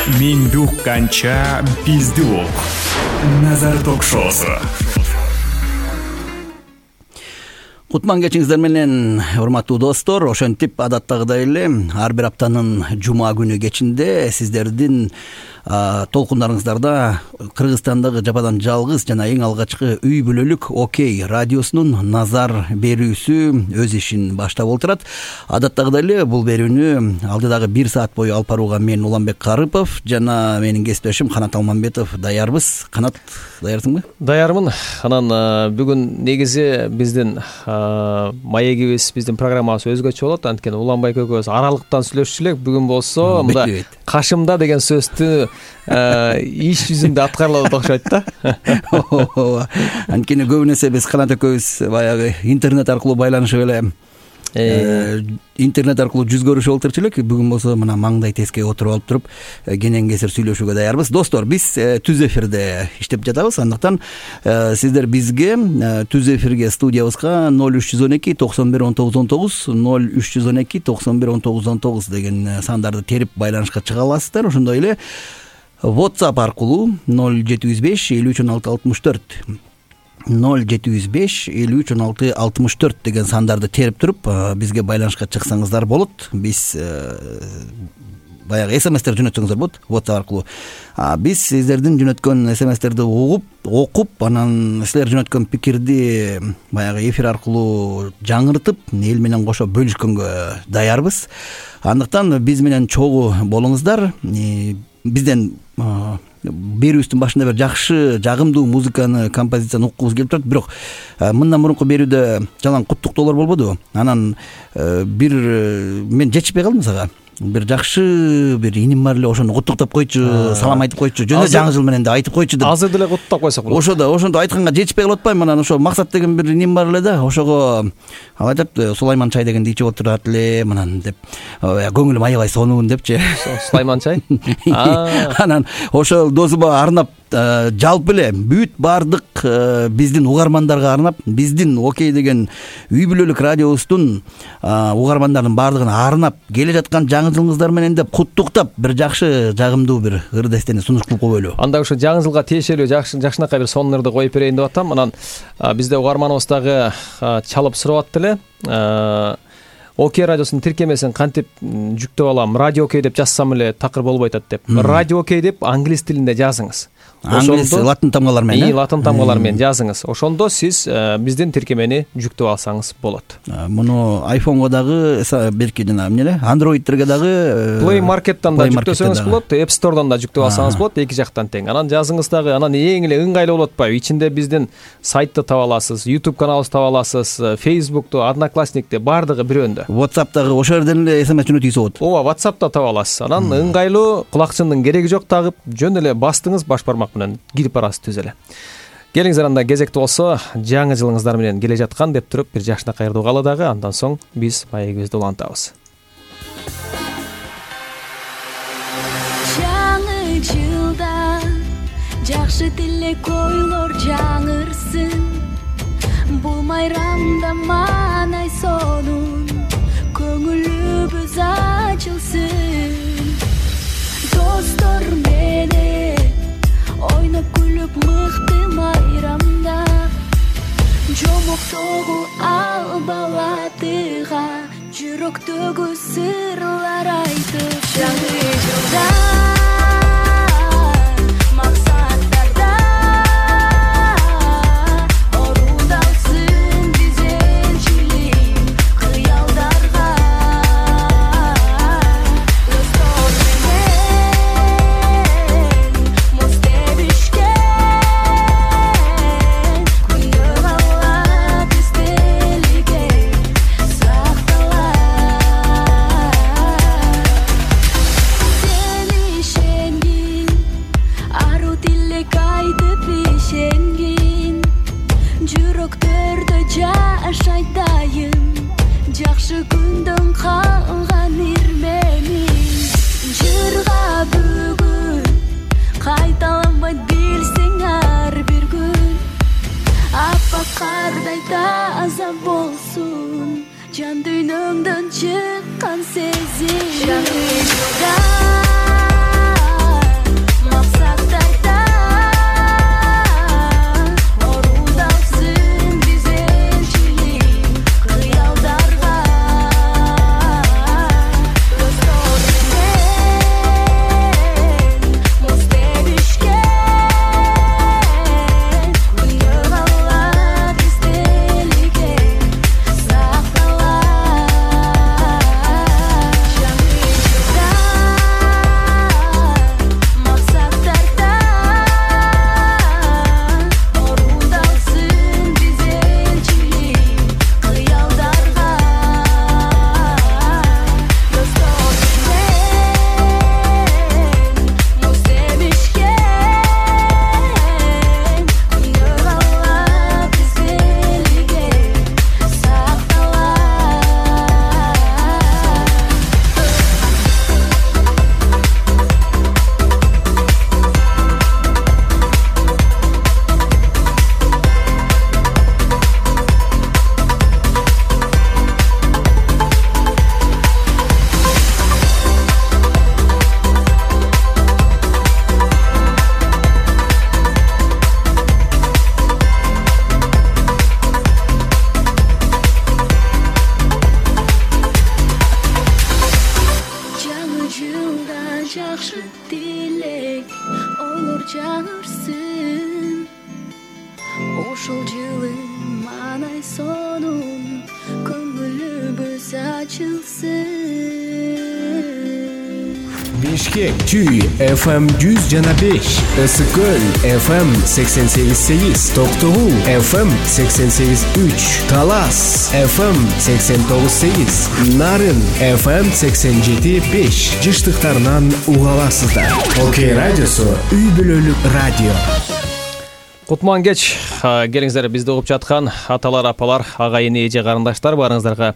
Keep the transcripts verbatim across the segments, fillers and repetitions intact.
Менди укканча бизди ук. Назар ток-шоусу. Кутман кечиңиздер менен, урматтуу достор. Ошентип адаттагыдай эле ар бир аптанын жума күнү кечинде сиздердин толкундарыңыздарда Кыргызстандагы жападан жалгыз жана эң алгачкы үй бүлөлүк Окей радиосунун назар берүүсү өз ишин баштап отурат. Адаттагыдай эле бул берүүнү алдыдагы бир саат бою алып барууга мен Уланбек Карыпов жана менин кесиптешим Канат Алмамбетов даярбыз. Канат, даярсыңбы? Даярмын. Анан бүгүн негизи биздин маегибиз, биздин программабыз өзгөчө болот. Анткени Уланбек экөөбүз аралыктан сүйлөшчү элек. Бүгүн болсо мында кашымда деген сөздү иш жүзүндө аткарылат окшойт да. Анткени көбүнесе биз Канат экөөбүз баягы интернет аркылуу байланышып эле интернет аркылуу жүз көрүшүп отурчу элек. Бүгүн болсо мына маңдай теске отуруп алып туруп кенен кесир сүйлөшүүгө даярбыз. Достор, биз түз эфирде иштеп жатабыз. Андыктан сиздер бизге түз эфирге студиябызга ноль үч жүз он эки токсон бир он тогуз он тогуз ноль үч жүз он эки токсон бир он тогуз он тогуз деген сандарды терип байланышка чыга аласыздар. Ошондой эле WhatsApp аркылуу ноль жети жүз беш элүү үч он алты алтымыш төрт ноль жети жүз беш элүү үч он алты алтымыш төрт деген сандарды терип туруп бизге байланышка чыксаңыздар болот. Биз баягы смстер жөнөтсөңүздөр болот WhatsApp аркылуу. Биз сиздердин жөнөткөн смстерди угуп, окуп, анан силер жөнөткөн пикирди баягы эфир аркылуу жаңыртып, эл менен кошо бөлүшкөнгө даярбыз. Андыктан биз менен чогуу болуңуздар. Бизден берүүбүздүн башында бир жакшы, жагымдуу музыканы, композицияны уккубуз келип турат. Бирок мындан мурунку берүүдө жалаң куттуктоолор болбодубу? Анан бир мен жетишпей калдым сага. Бир жакшы бир иним бар эле, ошону куттуктап койчу, салам айтып койчу, жөн эле жаңы жыл менен деп айтып койчу деп. Азыр деле куттуктап койсок болот. Ошодо, ошондо айтканга жетишпей калып атпайм. Анан ошо Максат деген бир иним бар эле да, ошого ал айтат, Сулайман чай дегенди ичип отурат эле, мынан деп, көңүлүм аябай сонун депчи. Сулайман чай? Анан ошол досума арнап, жалпы эле бүт бардык биздин угармандарга арнап, биздин Окей деген үй бүлөлүк радиобуздун угармандарынын бардыгына арнап келе жаткан жаңы жылыңыздар менен деп куттуктап, бир жакшы, жагымдуу бир ырдестени сунуш кылып коелу. Анда ошо жаңы жылга тиешелүү жакшы жакшынакай бир сонун ырды коюп берейин деп атам. Анан бизде угарманыбыз дагы чалып сурап атты эле. Окей радиосунун тиркемесин кантип жүктөп алам? Радио Окей деп жазсам эле такыр болбой атат деп. Радио Окей деп англис тилинде жазыңыз. Англис латын тамгалар менен. И латын тамгалар менен жазыңыз. Ошондо сиз биздин тиркемени жүктөп алсаңыз болот. Муну айфонго дагы, берки жана эмне, андроидтерге дагы Play Market'тан да жүктөсөңүз болот, App Store'дан да жүктөп алсаңыз болот, эки жактан тең. Анан жазыңыз дагы, анан эң эле ыңгайлуу болуп атпайбы? Ичинде биздин сайтты таба аласыз, YouTube каналыбызды таба аласыз, Facebook'то, Одноклассникте, бардыгы бирөөндө. WhatsApp'тагы ошол жерден эле смс жөнөтүүсү болот. Ооба, WhatsApp'та таба аласыз. Анан ыңгайлуу, кулакчындын кереги жок, тагып жөн эле бастыңыз, баш бармак менен кирип барасыз түз эле. Келиңиздер, анда кезекти болсо жаңы жылыңыздар менен келе жаткан деп туруп бир жакшынакай ырды угалы дагы, андан соң биз маегибизди улантабыз. Жаңы жылда жакшы тилек ойлор жаңырсын, бул майрамда маанай сонун, көңүлүбүз ачылсын. Достор менен ойноп күлүп мыкты майрамда, жомоктогу ал балатыга жүрөктөгү сырлар айтып. Жаңы жылда максаттарда орундалсын бизенчилик кыялдарга. Достор менен муз тебишкен күндө калат эстеликке сакталат. Сен ишенгин, ару тилек айтып ишенгин, жүрөктөрдө жашайт дайым жакшы күндөн калган ирменин. Жырга бүгүн кайталанбайт билсең ар бир күн, аппак кардай таза болсун жан дүйнөңдөн чыккан сезим. Жаңы жылда жакшы тилек ойлор жагырсын. Ушул жылы манай сонун көңүлүбүз ачылсын. Бишкек Чүй эф эм жүз жана беш, Ысык Көл эф эм сексен сегиз сегиз, Токтогул эф эм сексен сегиз үч, Талас эф эм сексен тогуз сегиз, Нарын эф эм сексен жети беш жыштыктарынан уга аласыздар. Окей радиосу үй бүлөлүк радио. Кутман кеч, келиңиздер бизди угуп жаткан аталар, апалар, агайын, эже, карындаштар баарыңыздарга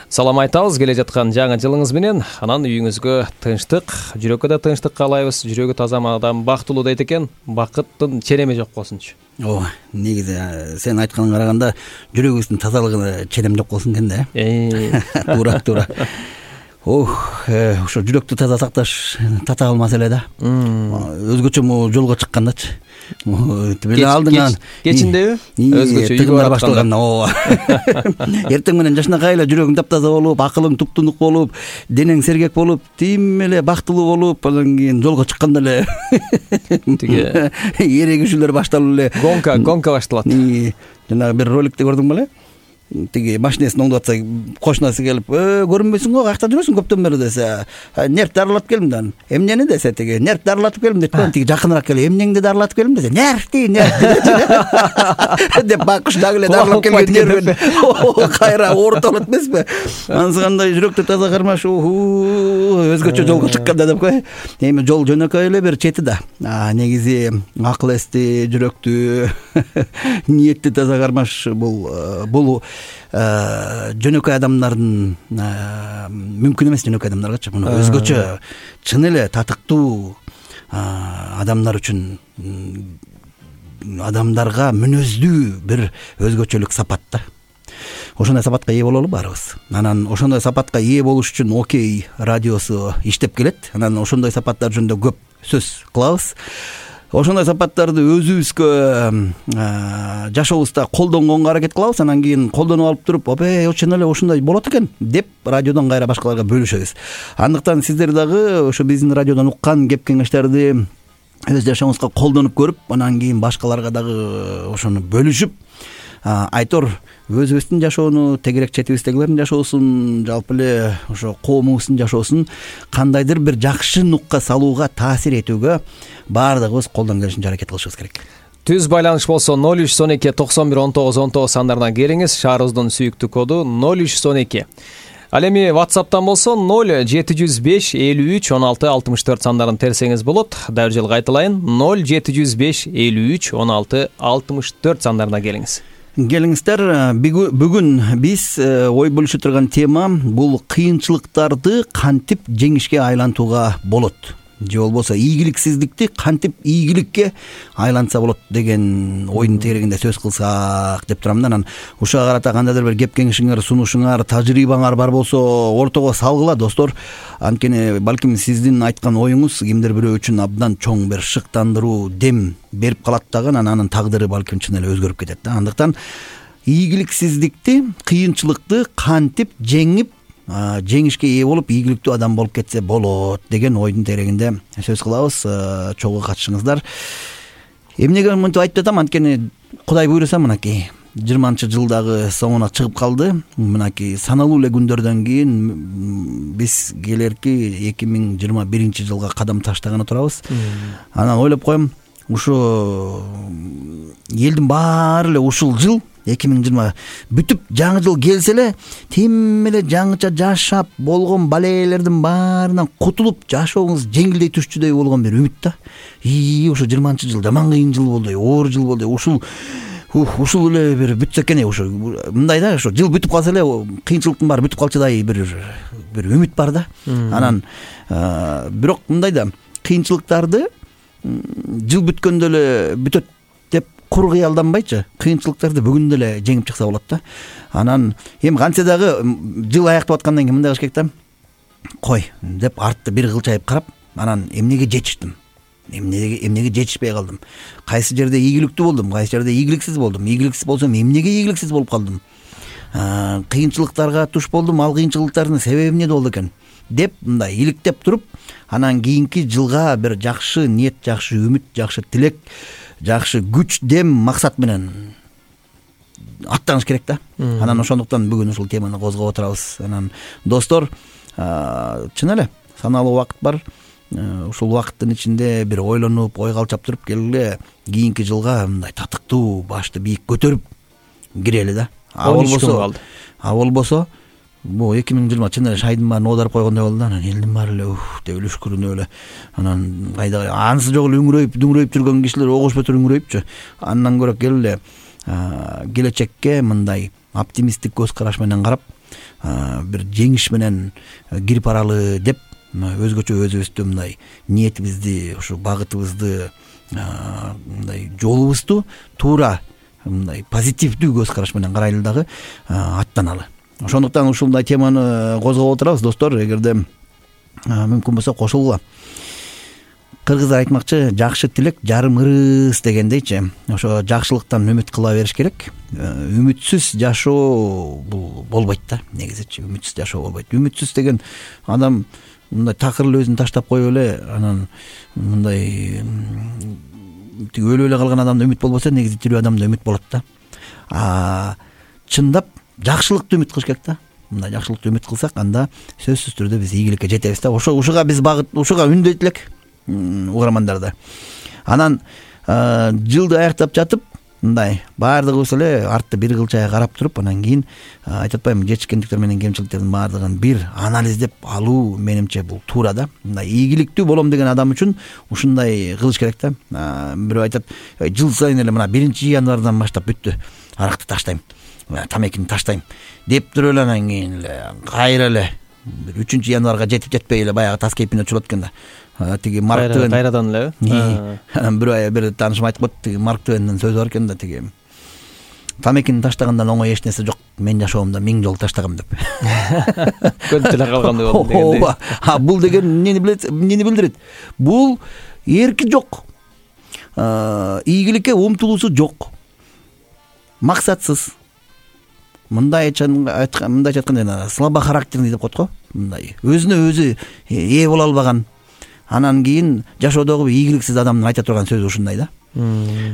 салам айтабыз. Келе жаткан жаңы жылыңыз менен, анан үйүңүзгө тынчтык, жүрөккө да тынчтык каалайбыз. Жүрөгү таза адам бактылуу дейт экен, бакыттын ченеми жок болсунчу. Ооба, негизи сен айтканыңа караганда жүрөгүбүздүн тазалыгына ченем жок болсун экен да. Э, Туура, туура. Ох, ошо жүрөктү таза сакташ татагал маселе да. Өзгөчө могу жолго чыккандачы. Тибиле алдыңан кечиндеби? Өзгөчө тыгындар башталганда, ооба. Эртең менен жашынакай эле жүрөгүң таптаза болуп, акылың туптунук болуп, денең сергек болуп, тим эле бактылуу болуп, анан кийин жолго чыкканда эле тиги эрегишүүлөр башталып эле. Гонка, гонка башталат. Жанагы бир роликти көрдүң беле? Тиги машинесин оңдоп атса, кошунасы келип, "Э, көрүнбөйсүң го, каякта жүрөсүң көптөн бери" десе, "Нерв дарылатып келдим" дан. "Эмнени?" десе, тиги "Нерв дарылатып келдим" дейт го. Тиги жакыныраак келип, "Эмнеңди дарылатып келдим" десе, "Нервти, нервти" деп бакыш дагы эле дарылап келген нервин кайра оорутуп алат эмеспи? Анысы кандай жүрөктү таза кармаш, өзгөчө жолго чыкканда деп кой. Эми жол жөнөкөй эле бир чети да. Негизи акыл эсти, жүрөктү, ниетти таза кармаш бул бул жөнөкөй адамдардын мүмкүн эмес, жөнөкөй адамдаргачы. Муну өзгөчө чын эле татыктуу адамдар үчүн, адамдарга мүнөздүү бир өзгөчөлүк сапат да. Ошондой сапатка ээ бололу баарыбыз. Анан ошондой сапатка ээ болуш үчүн Окей радиосу иштеп келет. Анан ошондой сапаттар жөнүндө көп сөз кылабыз. Ошондой сапаттарды өзүбүзгө жашообузда колдонгонго аракет кылабыз. Анан кийин колдонуп алып туруп, "Опе, чын эле ушундай болот экен" деп радиодон кайра башкаларга бөлүшөбүз. Андыктан сиздер дагы ошо биздин радиодон уккан кеп кеңештерди өз жашооңузга колдонуп көрүп, анан кийин башкаларга дагы ошону бөлүшүп, айтор өзүбүздүн жашоону, тегерек четибиздегилердин жашоосун, жалпы эле ошо коомубуздун жашоосун кандайдыр бир жакшы нукка салууга, таасир этүүгө баардыгыбыз колдон келишинче аракет кылышыбыз керек. Түз байланыш болсо ноль үч он эки токсон бир он тогуз он тогуз сандарына келиңиз. Шаарыбыздын сүйүктүү коду ноль үч он эки. Ал эми WhatsApp'тан болсо ноль жети жүз беш элүү үч он алты алтымыш төрт сандарын терсеңиз болот. Дагы жыл кайталайын. ноль жети жүз беш элүү үч он алты алтымыш төрт сандарына келиңиз. Келиңиздер, бүгүн биз ой бөлүшө турган тема бул кыйынчылыктарды кантип жеңишке айлантууга болот, же болбосо ийгиликсиздикти кантип ийгиликке айлантса болот деген ойдун тегерегинде сөз кылсак деп турам да. Анан ушуга карата кандайдыр бир кеп кеңешиңер, сунушуңар, тажрыйбаңар бар болсо ортого салгыла достор. Анткени балким сиздин айткан оюңуз кимдир бирөө үчүн абдан чоң бир шыктандыруу дем берип калат дагы, анан анын тагдыры балким чын эле өзгөрүп кетет да. Андыктан ийгиликсиздикти, кыйынчылыкты кантип жеңип жеңишке ээ болуп, ийгиликтүү адам болуп кетсе болот деген ойдун тегерегинде сөз кылабыз. Чогуу катышыңыздар. Эмнеге мынтип айтып атам, анткени Кудай буйруса мынакей жыйырманчы жылдагы соңуна чыгып калды. Мынакей саналуу эле күндөрдөн кийин биз келерки эки миң жыйырма биринчи жылга кадам таштаганы турабыз. Анан ойлоп коем, ушу элдин баары эле ушул жыл эки миң жыйырма бүтүп жаңы жыл келсе эле тим эле жаңыча жашап болгон балээлердин баарынан кутулуп жашооңуз жеңилдей түшчүдөй болгон бир үмүт да. И ушу жыйырманчы жыл жаман кыйын жыл болду, оор жыл болду. Ушул ушул эле бир бүтсө экен, ушу мындай да, ушу жыл бүтүп калса эле кыйынчылыктын баары бүтүп калчудай бир бир үмүт бар да. Анан бирок мындай да, кыйынчылыктарды жыл бүткөндө эле бүтөт деп кур кыялданбайчы, кыйынчылыктарды бүгүн деле жеңип чыкса болот да. Анан эми кантсе дагы жыл аяктап аткандан кийин мындай кылыш керек да. Кой деп артты бир кылчайып карап, анан эмнеге жетиштим? Эмнеге эмнеге жетишпей калдым? Кайсы жерде ийгиликтүү болдум, кайсы жерде ийгиликсиз болдум? Ийгиликсиз болсом эмнеге ийгиликсиз болуп калдым? Кыйынчылыктарга туш болдум, ал кыйынчылыктардын себеби эмнеде болду экен? деп мындай иликтеп туруп, анан кийинки жылга бир жакшы ниет, жакшы үмүт, жакшы тилек, жакшы күч, дем, максат менен аттаныш керек да. Анан ошондуктан бүгүн ушул теманы козгоп отурабыз. Анан достор, чын эле саналуу убакыт бар. Ушул убакыттын ичинде бир ойлонуп, ой калчап туруп келгиле, кийинки жылга мындай татыктуу, башты бийик көтөрүп кирели да. А болбосо, а болбосо бу эки миң жыйырма чын эле шайдын баарын оодарып койгондой болду да. Анан элдин баары эле уф деп эле үшкүрүнүп эле, анан кайда анысы жок эле үңүрөйүп, дүңүрөйүп жүргөн кишилер огош бетер үңүрөйүпчү. Андан көрө келгиле келечекке мындай оптимисттик көз караш менен карап, бир жеңиш менен кирип баралы деп өзгөчө өзүбүздү мындай ниетибизди, ушу багытыбызды, мындай жолубузду туура мындай позитивдүү көз караш менен карайлы дагы аттаналы. Ошондуктан ушундай теманы козгоп отурабыз достор. Эгерде мүмкүн болсо кошулгула. Кыргыздар айтмакчы, жакшы тилек жарым ырыс дегендейчи. Ошо жакшылыктан үмүт кыла бериш керек. Үмүтсүз жашоо бул болбойт да, негизичи. Үмүтсүз жашоо болбойт. Үмүтсүз деген адам мындай такыр эле өзүн таштап коюп эле, анан мындай тиги өлүп эле калган адамда үмүт болбосо, негизи тирүү адамда үмүт болот да. А чындап жакшылыкты үмүт кылыш керек да. Мындай жакшылыкты үмүт кылсак, анда сөзсүз түрдө биз ийгиликке жетебиз да. Ошо ушуга биз багыт, ушуга үндөйт элек угармандарды. Анан жылды аяктап жатып, мындай баардыгыбыз эле артты бир кылчайга карап туруп, анан кийин айтып атпаймынбы, жетишкендиктер менен кемчиликтердин баардыгын бир анализдеп алуу менимче бул туура да. Мындай ийгиликтүү болом деген адам үчүн ушундай кылыш керек да. Бирөө айтат, жыл сайын эле мына биринчи январдан баштап бүттү, аракты таштайм, тамекини таштайм деп туруп эле, анан кийин эле кайра эле бир үчүнчү январга жетип жетпей эле баягы таз кейпине чулат экен да. Тиги Марк Твен кайрадан эле. Анан бир ай бир таанышым айтып коет, тиги Марк Твендин сөзү бар экен да, тиги тамекини таштагандан оңой эч нерсе жок, мен жашоомдо миң жолу таштагам деп. Көнүп эле калгандай болду дегендей. Ооба. А бул деген эмнени билет, эмнени билдирет? Бул эрки жок. Ийгиликке умтулуусу жок. Максатсыз. Мындай айткан, мындай айтканда слабо характерный деп коет го. Мындай өзүнө өзү ээ боло албаган. Анан кийин жашоодогу ийгиликсиз адамдын айта турган сөзү ушундай да.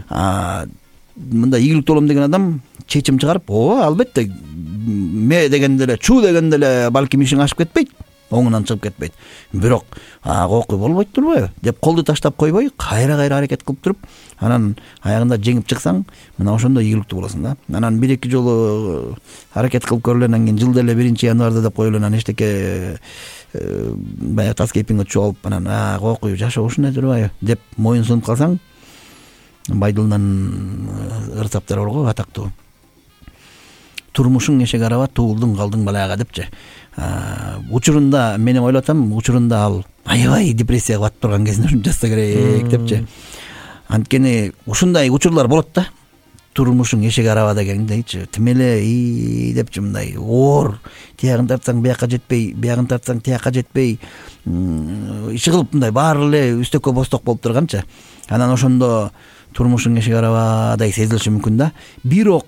А мындай ийгиликтүү болом деген адам чечим чыгарып, ооба, албетте ме дегенде эле, чу дегенде эле балким ишиң ашып кетпейт, оңунан чыгып кетпейт. Бирок окуй болбойт турбайбы деп колду таштап койбой, кайра-кайра аракет кылып туруп, анан аягында жеңип чыксаң, мына ошондо ийгиликтүү болосуң да. Анан бир-эки жолу аракет кылып көрүлө, анан кийин жылда эле биринчи январда деп коюлу, анан эчтеке баягы таз кейпиңе түшүп алып, анан окуй жашоо ушундай турбайбы деп моюн сунуп калсаң, Байдылдан ырсаптар бар го, атактуу. Турмушуң эшек араба, туулдуң калдың балага депчи. Учурунда мен ойлоп атам, учурунда ал аябай депрессияга батып турган кезинде ушунча жазса керек депчи. Анткени ушундай учурлар болот да. Турмушуң эшек араба дегендейчи, тим эле и депчи, мындай оор, тиягын тартсаң биякка жетпей, биягын тартсаң тиякка жетпей, иши кылып мындай баары эле үстөккө босток болуп турганчы. Анан ошондо турмушуң эшек арабадай сезилиши мүмкүн да. Бирок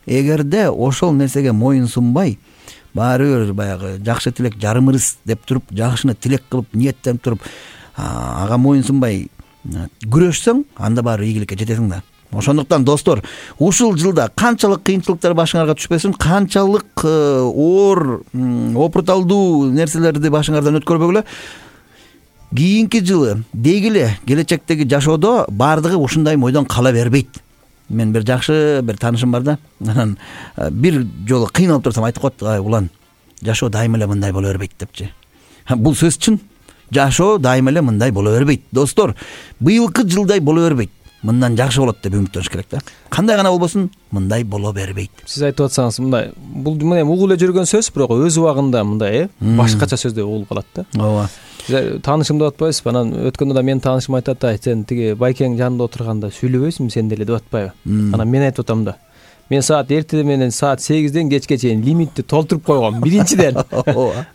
эгерде ошол нерсеге моюн сунбай, баары бир баягы жакшы тилек жарым ырыс деп туруп, жакшыны тилек кылып, ниеттенип туруп, ага моюн сунбай күрөшсөң, анда баары ийгиликке жетесиң да. Ошондуктан достор, ушул жылда канчалык кыйынчылыктар башыңарга түшпөсүн, канчалык оор, опурталдуу нерселерди башыңардан өткөрбөгүлө, кийинки жылы дегиле келечектеги жашоодо баардыгы ушундай мойдон кала бербейт. Мен бир жакшы бир таанышым бар да. Анан бир жолу кыйналып турсам айтып коет, ай улан, жашоо дайыма эле мындай боло бербейт депчи. Бул сөз чын. Жашоо дайыма эле мындай боло бербейт. Достор, быйылкы жылдай боло бербейт. Мындан жакшы болот деп үмүттөнүш керек да. Кандай гана болбосун, мындай боло бербейт. Сиз айтып атсаңыз, мындай бул мына угуп эле жүргөн сөз, бирок өз убагында мындай э башкача сөздөй угулуп калат да. Ооба. Таанышым деп атпайсызбы? Анан өткөндө да менин таанышым айтат да, сен тиги байкең жанында отурганда сүйлөбөйсүңбү сен деле деп атпайбы? Анан мен айтып атам да. Мен саат эртеде менен саат сегизден кечке чейин лимитти толтуруп койгом биринчиден.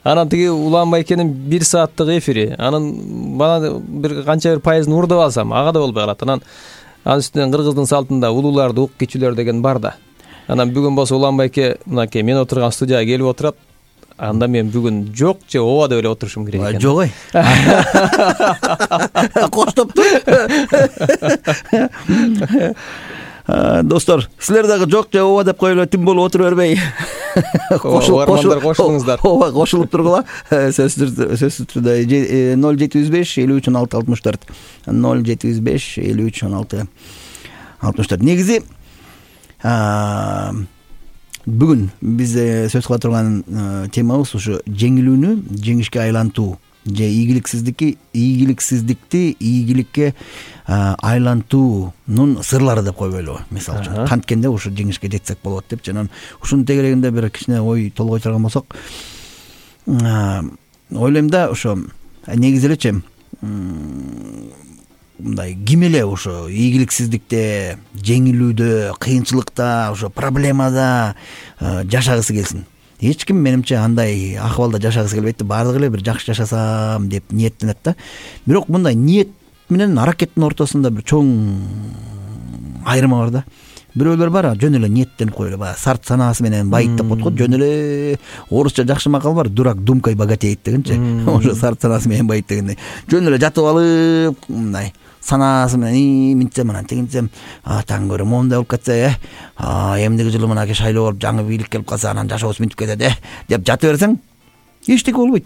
Анан тиги Улан байкенин бир сааттык эфири, анан бана бир канча бир пайызын урдап алсам, ага да болбой калат. Анан анын үстүнөн кыргыздын салтында улууларды ук кичүүлөр деген бар да. Анан бүгүн болсо Улан байке мынакей мен отурган студияга келип отурат. анда мен бүгүн жок же ооба деп эле отурушум керек экен. Жок ой. Коштоптур. Достор, силер дагы жок же ооба деп коюп эле тим болуп отура бербей. Кошулуңуздар, кошулуңуздар. Ооба, кошулуп тургула. Сөзсүз түрдө ноль жети жүз беш элүү үч он алты алтымыш төрт. ноль жети жүз беш элүү үч он алты алтымыш төрт. Негизи бүгүн биз сөз кыла турган темабыз ушу жеңилүүнү жеңишке айлантуу же ийгиликсиздикти ийгиликсиздикти ийгиликке айлантуунун сырлары деп койбойлубу. Мисалы үчүн канткенде ушу жеңишке жетсек болот деп жанан ушунун тегерегинде бир кичине ой толгой турган болсок, ойлойм да ошо негизи элечи мындай ким эле ошо ийгиликсиздикте, жеңилүүдө, кыйынчылыкта, ошо проблемада жашагысы келсин. Эч ким менимче андай акыбалда жашагысы келбейт да, баардыгы эле бир жакшы жашасам деп ниеттенет да. Бирок мындай ниет менен аракеттин ортосунда бир чоң айырма бар да. Бирөөлөр бар, жөн эле ниеттенип коелу, баягы сарт санаасы менен байыттап коет го, жөн эле орусча жакшы макал бар, дурак думкой богатеет дегенчи. Ошо сарт санаасы менен байыт дегендей. Жөн эле жатып алып, мындай санаасы менен минтсем анан тигинтсем, таң көрө моундай болуп кетсе, эмдиги жылы мынакей шайлоо болуп жаңы бийлик келип калса анан жашообуз минтип кетет э деп жатып берсең, эчтеке болбойт.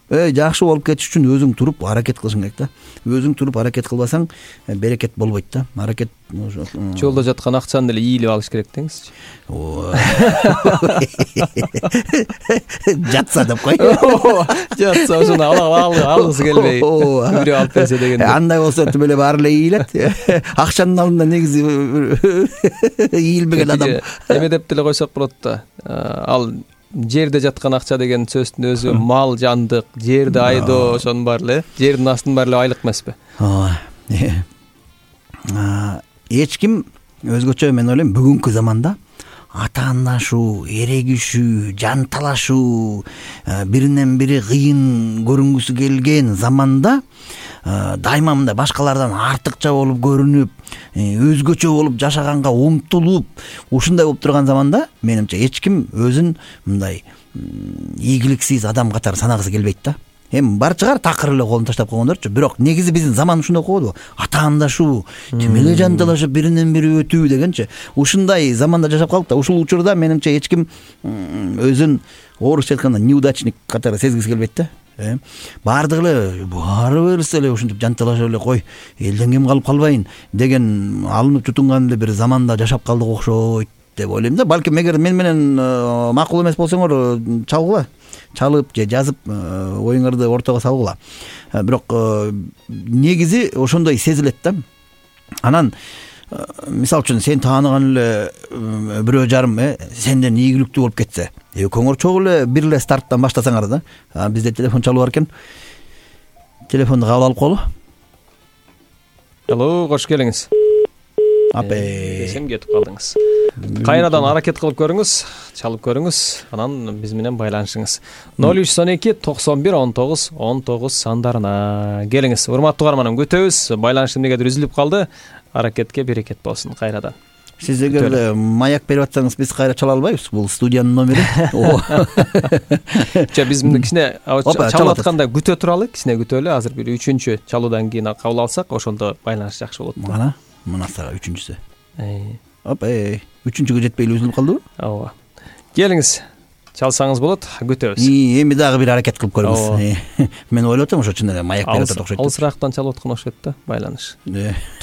Э жакшы болуп кетиш үчүн өзүң туруп аракет кылышың керек да. Өзүң туруп аракет кылбасаң, берекет болбойт да. Аракет жолдо жаткан акчаны деле ийилип алыш керек деңизчи. Жатса деп кой. Жатса ошону алгысы келбей бирөө алып берсе дегенде. Андай болсо түбө эле баары эле ийилет. Акчанын алдында негизи ийилбеген адам. Эме деп деле койсок болот да. Ал жерде жаткан акча деген сөздүн өзү мал, жандык, жерди айдоо, ошонун баары эле, жердин астынын баары эле айлык эмеспи? Ооба. Эч ким өзгөчө мен ойлойм бүгүнкү заманда атаандашуу, эрегишүү, жан талашуу, биринен бири кыйын көрүнгүсү келген заманда дайыма мындай башкалардан артыкча болуп көрүнүп, өзгөчө болуп жашаганга умтулуп, ушундай болуп турган заманда менимче эч ким өзүн мындай ийгиликсиз адам катары санагысы келбейт да. Эми бар чыгар такыр эле колун таштап койгондорчу, бирок негизи биздин заман ушундай койбодубу? Атаандашуу, тим эле жан талашып биринен бири өтүү дегенчи. Ушундай заманда жашап калдык да. Ушул учурда менимче эч ким өзүн орусча айтканда неудачник катары сезгиси келбейт да. Баардыгы эле баары берсе эле ушинтип жан талашып эле кой, элден кем калып калбайын деген алынып жутунган эле бир заманда жашап калдык окшойт деп ойлойм да. Балким эгер мен менен макул эмес болсоңор чалгыла, чалып же жазып оюңарды ортого салгыла. Бирок негизи ошондой сезилет да. Анан мисалы үчүн сен тааныган эле бирөө жарым сенден ийгиликтүү болуп кетсе, экөөңөр чогуу эле бир эле старттан баштасаңар да. Бизде телефон чалып бар экен. Телефонду кабыл алып коелу. Алло, кош келиңиз. Апей. Сен кетип калдыңыз. Кайрадан аракет кылып көрүңүз, чалып көрүңүз, анан биз менен байланышыңыз. ноль үч он эки токсон бир он тогуз он тогуз сандарына келиңиз. Урматтуу угарманым, күтөбүз. Байланыш эмнегедир үзүлүп калды. Аракетке берекет болсун кайрадан. Сиз эгер маяк берип атсаңыз, биз кайра чала албайбыз. Бул студиянын номери. Жа биз мындай кичине чалып атканда күтө туралы, кичине күтөлү. Азыр бир үчүнчү чалуудан кийин кабыл алсак, ошондо байланыш жакшы болот. Мана, мына сага үчүнчүсү. Оп, эй, үчүнчүгө жетпей эле үзүлүп калдыбы? Ооба. Келиңиз. Чалсаңыз болот, күтөбүз. Эми дагы бир аракет кылып көрүңүз. Мен ойлоп атам, ошо чын эле маяк берип атат окшойт. Алысыраактан чалып аткан окшойт да, байланыш.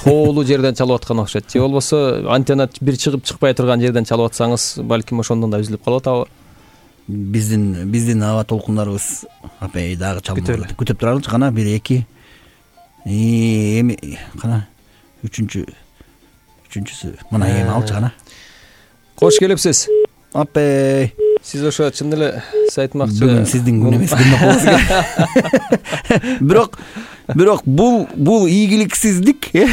Тоолуу жерден чалып аткан окшойт. Же болбосо антенна бир чыгып чыкпай турган жерден чалып атсаңыз, балким ошондон да үзүлүп калып атабы? Биздин биздин аба толкундарыбыз апай дагы чалып күтүп туралычы, кана бир эки. Эми кана үчүнчү үчүнчүсү. Мына эми алчы кана. Кош келипсиз. Апай. Сиз ошо чын эле айтмакчы. Бүгүн сиздин күн эмес, күндөп болсо керек. Бирок бирок бул бул ийгиликсиздик, э?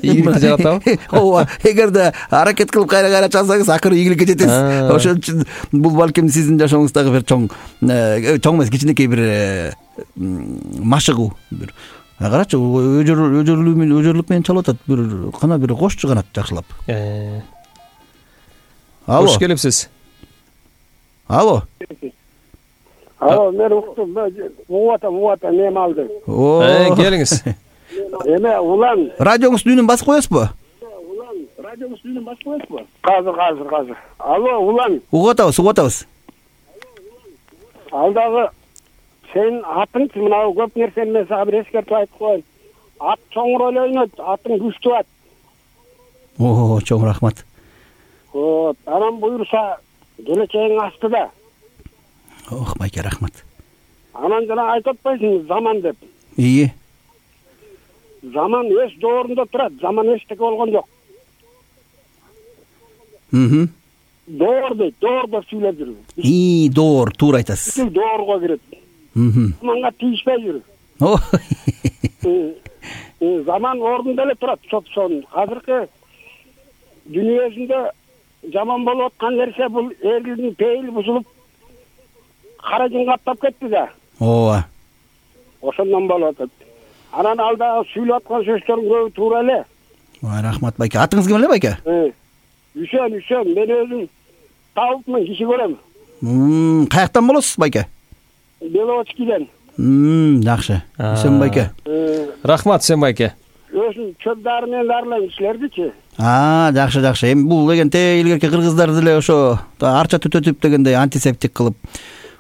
Ийгиликти жаратабы? Ооба, эгерде аракет кылып кайра-кайра чалсаңыз, акыры ийгиликке жетесиз. Ошон үчүн бул балким сиздин жашооңуздагы бир чоң чоң эмес, кичинекей бир машыгуу бир. Карачы, өжөрлүк менен өжөрлүк менен чалып атат. Бир кана бир кошчу канат жакшылап. Алло. Кош келипсиз. Алло. Алло, мен уктум. Угуп атам, угуп атам, эме алды. Э, келиңиз. Эме улан. Радионуздун үнүн басып коесузбу? Радионуздун үнүн басып коесузбу? Азыр, азыр, азыр. Алло, улан. Угуп атабыз, угуп атабыз. Алдагы сен атың мына көп нерсени мен сага бир эскертип айтып коеюн. Ат чоң роль ойнойт, атың күчтүү ат. О, чоң рахмат. Вот, анан буюрса келечегиң астыда. Ох, байке, рахмат. Анан жана айтып атпайсың заман деп. Ии. Заман эч доорунда турат, заман эчтеке болгон жок. Мм. Доор дейт, доор деп сүйлөп жүр. И, доор, туура айтасыз. Бүтүн доорго кирет. Мм. Заманга тийишпей жүр. О. Заман ордунда эле турат, чопсон. Азыркы дүнүйөсүндө жаман болуп аткан нерсе бул элдин пейили бузулуп каражын каптап кетти да. Ооба. Ошондон болуп атат. Анан алда сүйлөп аткан сөздөрүң көбү туура эле. Ой, рахмат байке. Атыңыз ким эле байке? Үсөн, Үсөн, мен өзүм табыпмын, киши көрөм. Мм, каяктан болосуз байке? Беловодскийден. Мм, жакшы. Үсөн байке. Рахмат, Үсөн байке. Өзүм чөп дары менен дарылайм силердичи. А, жакшы, жакшы. Эми бул дегенде илгерки кыргыздар деле ошо арча түтөтүп дегендей антисептик кылып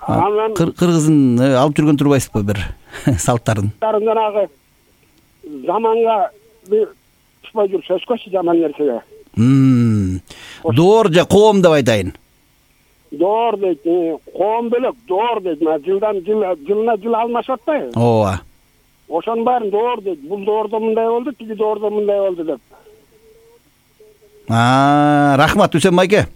кыргыздын алып жүргөн турбайсызбы бир салттарын? Жанагы заманга түшпөй жүр, сөзгөчү жаман нерсеге. Мм. Доор же коом деп айтайын. Доор дейт, коом бөлөк, доор дейт. Жылдан жыл, жылына жыл алмашып атпайбы? Ооба. Ошонун баарын доор дейт. Бул доордо мындай болду, тиги доордо мындай болду деп. А, рахмат Үсөн байке.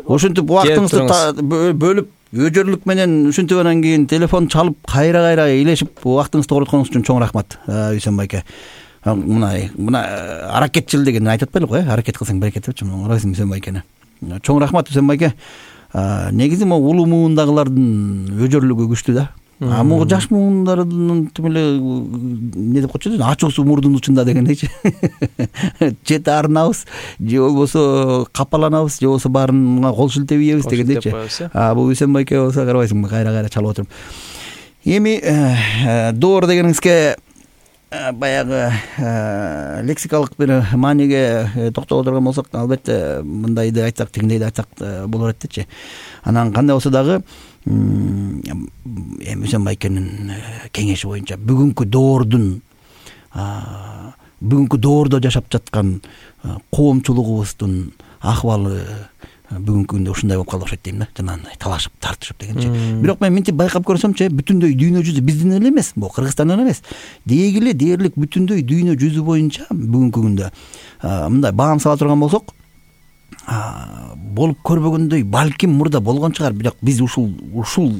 Ушинтип убактыңызды бөлүп, өжөрлүк менен ушинтип анан кийин телефон чалып, кайра-кайра илешип убактыңызды токтотконуңуз үчүн чоң рахмат, Үсөн байке. Мына, мына аракетчил деген айтып атпайлы го, э? Аракет кылсаң берекет депчи, урайсың Үсөн байкени. Чоң рахмат Үсөн байке. Негизи могу улуу муундагылардын өжөрлүгү күчтүү да. А могу жаш муундардын тим эле эмне деп койчу, ачуусу мурдун учунда дегендейчи. Чет арнабыз, же болбосо капаланабыз, же болбосо баарына кол шилтеп ийебиз дегендейчи. А бул Үсөн байке болсо карабайсыңбы, кайра-кайра чалып отуруп. Эми доор дегениңизге баягы лексикалык бир мааниге токтоло турган болсок, албетте мындайды айтсак, тигиндейди айтсак болор эт дечи. Анан кандай болсо дагы эми Үсөн байкенин кеңеши боюнча бүгүнкү доордун бүгүнкү доордо жашап жаткан коомчулугубуздун акыбалы бүгүнкү күндө ушундай болуп калды окшойт дейм да, жанагындай талашып тартышып дегенчи. Бирок мен мынтип байкап көрсөмчү, бүтүндөй дүйнө жүзү биздин эле эмес, бул Кыргызстандан эмес, деги эле дээрлик бүтүндөй дүйнө жүзү боюнча бүгүнкү күндө мындай баам сала турган болсок, болуп көрбөгөндөй балким мурда болгон чыгар, бирок биз ушул ушул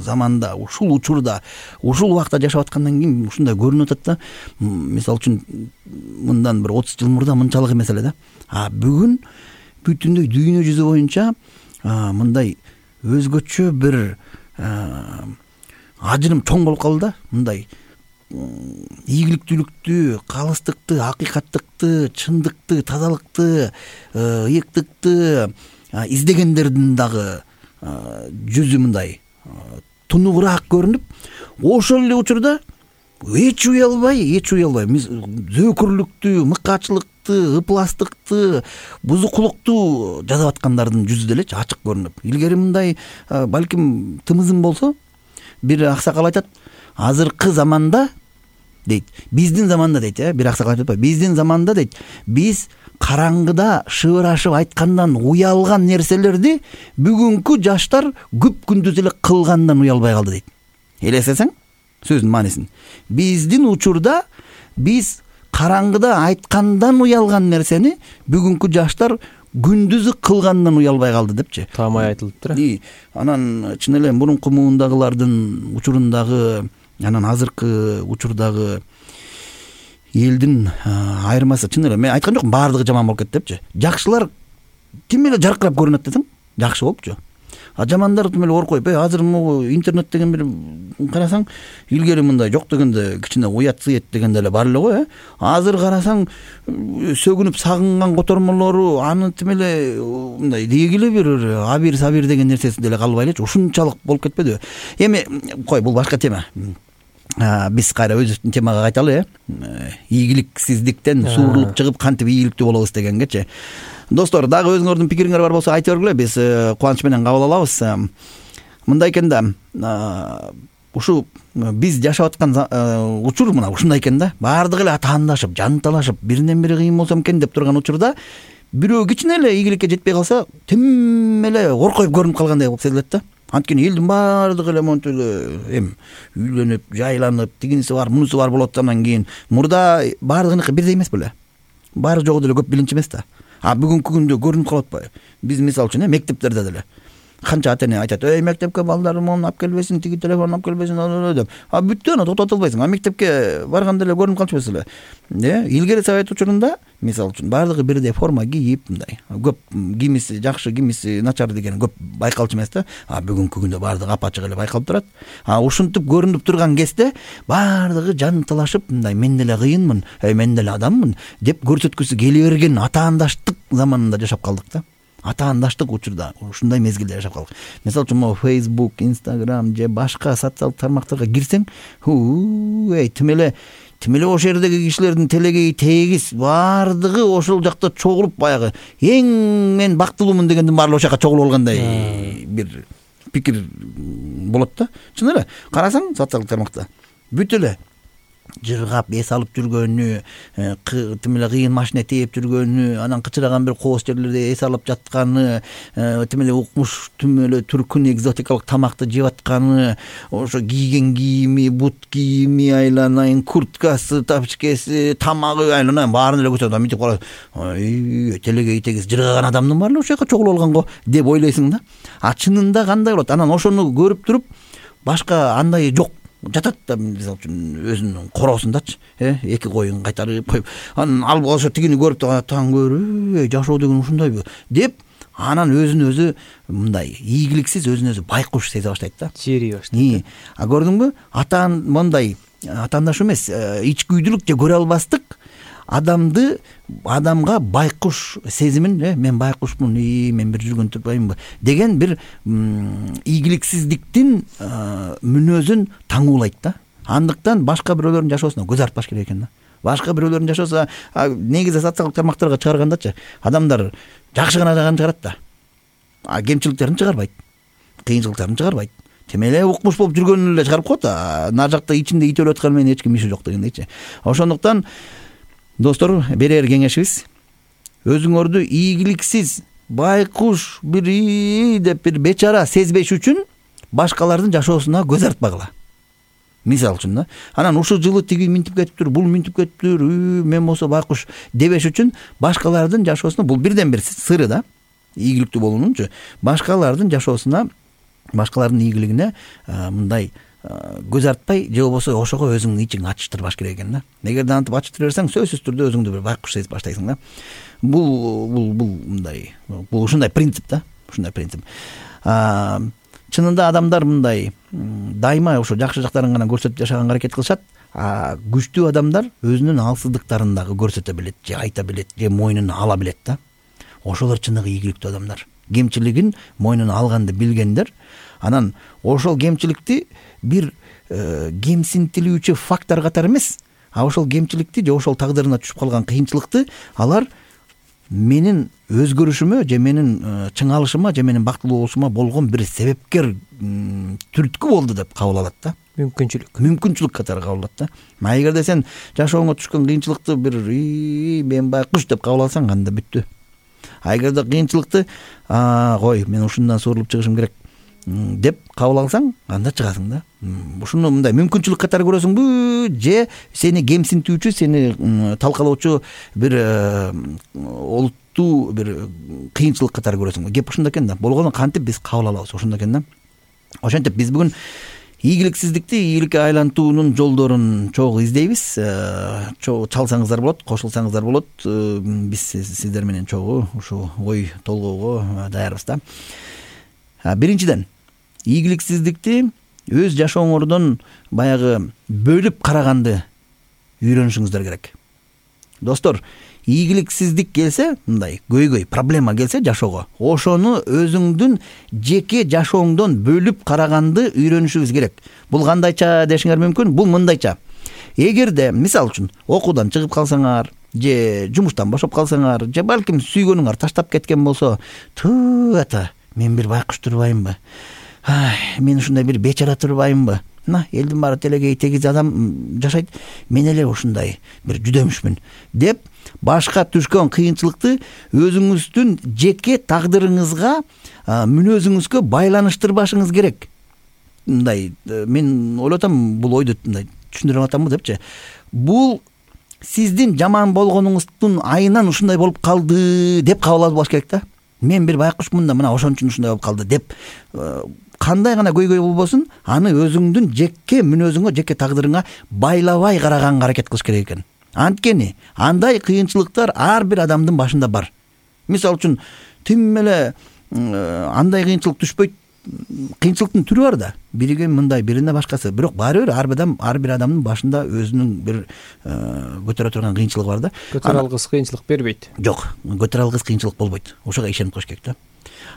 заманда, ушул учурда, ушул убакта жашап аткандан кийин ушундай көрүнүп атат да. Мисалы үчүн мындан бир отуз жыл мурда мынчалык эмес эле да. А бүгүн бүтүндөй дүйнө жүзү боюнча мындай өзгөчө бир ажырым чоң болуп калды да. Мындай ийгиликтүүлүктү, калыстыкты, акыйкаттыкты, чындыкты, тазалыкты, ыйыктыкты издегендердин дагы жүзү мындай тунугураак көрүнүп, ошол эле учурда эч уялбай, эч уялбай зөөкүрлүктү, мыкаачылыкты, ыпластыкты, бузукулукту жасап аткандардын жүзү делечи ачык көрүнүп. Илгери мындай балким тымызым болсо, бир аксакал айтат, азыркы заманда дейт, биздин заманда дейт, э, бир аксакал айтып, биздин заманда дейт, биз караңгыда шыбырашып айткандан уялган нерселерди бүгүнкү жаштар күп күндүз эле кылгандан уялбай калды дейт. Элестесең сөздүн маанисин. Биздин учурда биз караңгыда айткандан уялган нерсени бүгүнкү жаштар күндүзү кылгандан уялбай калды депчи. Таамай айтылыптыр. Анан чын эле мурунку муундагылардын учурундагы, анан азыркы учурдагы элдин айырмасы чын эле мен айткан жокмун, баардыгы жаман болуп кетти депчи. Жакшылар ким эле жаркырап көрүнөт десең, жакшы болупчу. А жамандар тим эле оор коюп, э азыр могу интернет деген бир карасаң, илгери мындай жок дегенде кичине уят сыйет дегенде эле бар эле го, э. Азыр карасаң, сөгүнүп сагынган котормолору аны тим эле мындай деги эле бир абир сабир деген нерсеси деле калбай элечи, ушунчалык болуп кетпедиби? Эми кой, бул башка тема. Биз кайра өзүбүздүн темага кайталы, э. Ийгиликсиздиктен суурулуп чыгып кантип ийгиликтүү болобуз дегенгечи. Достор, дагы өзүңөрдүн пикириңер бар болсо айтып бергиле, биз кубаныч менен кабыл алабыз. Мындай экен да, ушу биз жашап аткан учур мына ушундай экен да. Баардыгы эле атаандашып, жанталашып, биринен бири кыйын болсом экен деп турган учурда бирөө кичине эле ийгиликке жетпей калса, тим эле оркоюп көрүнүп калгандай болуп сезилет да. Анткени элдин баардыгы эле монтип эле эм үйлөнүп, жайланып, тигиниси бар, мунусу бар болот андан кийин. Мурда баардыгыныкы бирдей эмес беле? Баары жогу деле көп билинчи эмес да. А бүгүнкү күндө көрүнүп калып атпайбы? Биз мисалы үчүн мектептерде деле канча ата-эне айтат: "Эй, мектепке балдарым мону алып келбесин, тиги телефон алып келбесин" деп. А бүттү, аны токтото албайсың. А мектепке барганда эле көрүнүп калчу эле. Э, илгери совет учурунда мисалы үчүн баардыгы бирдей форма кийип, мындай көп кимиси жакшы, кимиси начар деген көп байкалчу эмес да. А бүгүнкү күндө баардыгы апачык эле байкалып турат. А ушинтип көрүнүп турган кезде баардыгы жанталашып, мындай мен деле кыйынмын, эй мен деле адаммын деп көрсөткүсү келе берген атаандаштык заманында жашап калдык да. Атаандаштык учурда ушундай мезгилде жашап калдык. Мисалы үчүн могу Facebook, Instagram же башка социалдык тармактарга кирсең, эй тим эле тим эле ошол жердеги кишилердин телегеи тегиз баардыгы ошол жакта чогулуп, баягы эң мен бактылуумун дегендин баары ошол жака чогулуп алгандай бир пикир болот да. Чын эле карасаң социалдык тармакта бүт эле жыргап эс алып жүргөнү, тим эле кыйын машина тээп жүргөнү, анан кычыраган бир кооз жерлерде эс алып жатканы, тим эле укмуш, тим эле түркүн экзотикалык тамакты жеп атканы, ошо кийген кийими, бут кийими айланайын, курткасы, тапочкеси, тамагы айланайын, баарын эле көрсөт, мынтип калат. Ой, телегеи тегиз жыргаган адамдын баары ошол жака чогулуп алган го деп ойлойсуң да. А чынында кандай болот? Анан ошону көрүп туруп башка андай жок. Жатат да, мисалы үчүн өзүнүн короосундачы, э, эки коюн кайтарып коюп, анан алып ошо тигини көрүп таң көрүп, жашоо деген ушундайбы деп, анан өзүн өзү мындай ийгиликсиз, өзүн өзү байкуш сезе баштайт да. Жери баштайт. А көрдүңбү? Атаан мындай атаандаш эмес, ичкүйдүлүк же көрө албастык адамды адамга байкуш сезимин, э, мен байкушмун, мен бир жүргөн турбаймынбы деген бир ийгиликсиздиктин мүнөзүн таңуулайт да. Андыктан башка бирөөлөрдүн жашоосуна көз артпаш керек экен да. Башка бирөөлөрдүн жашоосу негизи социалдык тармактарга чыгаргандачы адамдар жакшы гана жагын чыгарат да. А кемчиликтерин чыгарбайт. Кыйынчылыктарын чыгарбайт. Тем эле укмуш болуп жүргөнүн эле чыгарып коет. Нар жакта ичинде ит өлүп атканы менен эч ким иши жок дегендейчи. Ошондуктан достор, берер кеңешибиз өзүңөрдү ийгиликсиз, байкуш бир деп бир бечара сезбеш үчүн башкалардын жашоосуна көз артпагыла. Мисалы үчүн да. Анан ушул жылы тиги минтип кетиптир, бул минтип кетиптир, мен болсо байкуш дебеш үчүн башкалардын жашоосуна, бул бирден бир сыры да. Ийгиликтүү болуунунчу башкалардын жашоосуна, башкалардын ийгилигине мындай көз артпай, же болбосо ошого өзүңдүн ичиңди ачыштырбаш керек экен да. Эгерде антип ачыштыра берсең, сөзсүз түрдө өзүңдү бир байкуш сезип баштайсың да. Бул бул бул мындай, бул ушундай принцип да, ушундай принцип. А чынында адамдар мындай дайыма ошо жакшы жактарын гана көрсөтүп жашаганга аракет кылышат. А күчтүү адамдар өзүнүн алсыздыктарын дагы көрсөтө билет, же айта билет, же мойнуна ала билет да. Ошолор чыныгы ийгиликтүү адамдар. Кемчилигин мойнуна алганды билгендер. Анан ошол кемчиликти бир кемсинтилүүчү фактор катары эмес, а ошол кемчиликти же ошол тагдырына түшүп калган кыйынчылыкты алар менин өзгөрүшүмө же менин чыңалышыма же менин бактылуу болушума болгон бир себепкер түрткү болду деп кабыл алат да. Мүмкүнчүлүк. Мүмкүнчүлүк катары кабыл алат да. А эгерде сен жашооңо түшкөн кыйынчылыкты бир мен байкуш деп кабыл алсаң, анда бүттү. А эгерде кыйынчылыкты кой, мен ушундан суурулуп чыгышым керек деп кабыл алсаң, анда чыгасың да. Ушуну мындай мүмкүнчүлүк катары көрөсүңбү, же сени кемсинтүүчү, сени талкалоочу бир олуттуу бир кыйынчылык катары көрөсүңбү? Кеп ушунда экен да. Болгону кантип биз кабыл алабыз, ошондо экен да. Ошентип биз бүгүн ийгиликсиздикти ийгиликке айлантуунун жолдорун чогуу издейбиз. Чалсаңыздар болот, кошулсаңыздар болот. Биз сиздер менен чогуу ушу ой толгоого даярбыз да. биринчиден ийгиликсиздикти өз жашооңордон баягы бөлүп караганды үйрөнүшүңүздөр керек. Достор, ийгиликсиздик келсе, мындай көйгөй проблема келсе жашоого, ошону өзүңдүн жеке жашооңдон бөлүп караганды үйрөнүшүңүз керек. Бул кандайча дешиңер мүмкүн? Бул мындайча. Эгерде мисал үчүн окуудан чыгып калсаңар, же жумуштан бошоп калсаңар, же балким сүйгөнүңөр таштап кеткен болсо, туу ата, мен бир байкуш турбаймынбы? Ай, мен ушундай бир бечара турбаймынбы? На, элдин баары телегей тегиз адам жашайт, мен эле ушундай бир жүдөмүшмүн деп башка түшкөн кыйынчылыкты өзүңүздүн жеке тагдырыңызга, мүнөзүңүзгө байланыштырбашыңыз керек. Мындай мен ойлоп атам, бул ойду мындай түшүндүрүп атамбы депчи. Бул сиздин жаман болгонуңуздун айынан ушундай болуп калды деп кабыл албаш керек да. Мен бир байкушмун да, мына ошон үчүн ушундай болуп калды деп кандай гана көйгөй болбосун, аны өзүңдүн жеке мүнөзүңө, жеке тагдырыңа байлабай караганга аракет кылыш керек экен. Анткени андай кыйынчылыктар ар бир адамдын башында бар. Мисал үчүн тим эле андай кыйынчылык түшпөйт, кыйынчылыктын түрү бар да. Бириге мындай, бирине башкасы. Бирок баары бир ар бир адам, ар бир адамдын башында өзүнүн бир көтөрө турган кыйынчылыгы бар да. Көтөрө алгыс кыйынчылык бербейт. Жок, көтөрө алгыс кыйынчылык болбойт. Ошого ишенип коюш керек да.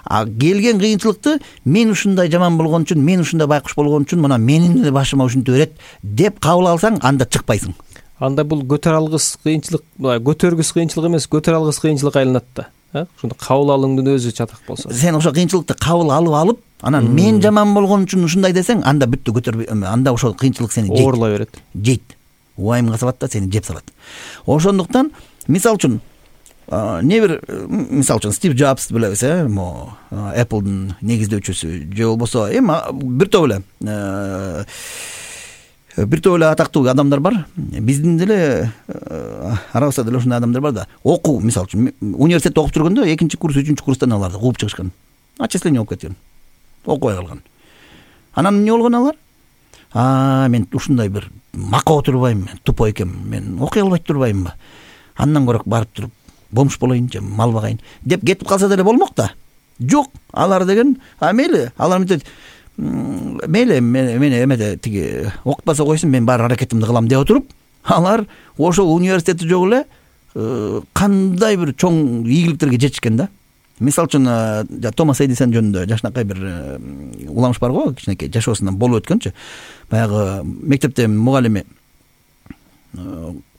А келген кыйынчылыкты мен ушундай жаман болгон үчүн, мен ушундай байкуш болгон үчүн мына менин эле башыма ушинтип берет деп кабыл алсаң, анда чыкпайсың. Анда бул көтөрө алгыс кыйынчылык, көтөргүс кыйынчылык эмес, көтөрө алгыс кыйынчылык айланат да. Ошондо кабыл алууңдун өзү чатак болсо. Сен ошо кыйынчылыкты кабыл алып алып, анан мен жаман болгон үчүн ушундай десең, анда бүттү, көтөрбөй, анда ошол кыйынчылык сени жейт. Оорула берет. Жейт. Уайымга салат да, сени жеп салат. Ошондуктан, мисал үчүн, не бир, мисал үчүн Стив Джобс билебиз, э, мо Apple'дын негиздөөчүсү, же болбосо эми бир топ эле бир топ эле атактуу адамдар бар. Биздин деле арабызда деле ушундай адамдар бар да. Окуу, мисал үчүн, университетте окуп жүргөндө экинчи курс, үчүнчү курстан аларды кууп чыгышкан. Отчисление болуп кеткен. Окубай калган. Анан эмне болгон алар? А, мен ушундай бир макоо турбайм, мен тупой экенмин, мен окуй албай турбаймынбы? Андан көрөк барып туруп бомж болоюн же мал багайын деп кетип калса деле болмок да. Жок, алар деген, а мейли, алар мынтет, мейли, мени эмеде тиги окутпаса койсун, мен бар аракетимди кылам деп отуруп, алар ошол университети жок эле кандай бир чоң ийгиликтерге жетишкен да. Мисал үчүн Томас Эдисон жөнүндө жакшынакай бир уламыш бар го, кичинекей жашоосунан болуп өткөнчү. Баягы мектепте мугалими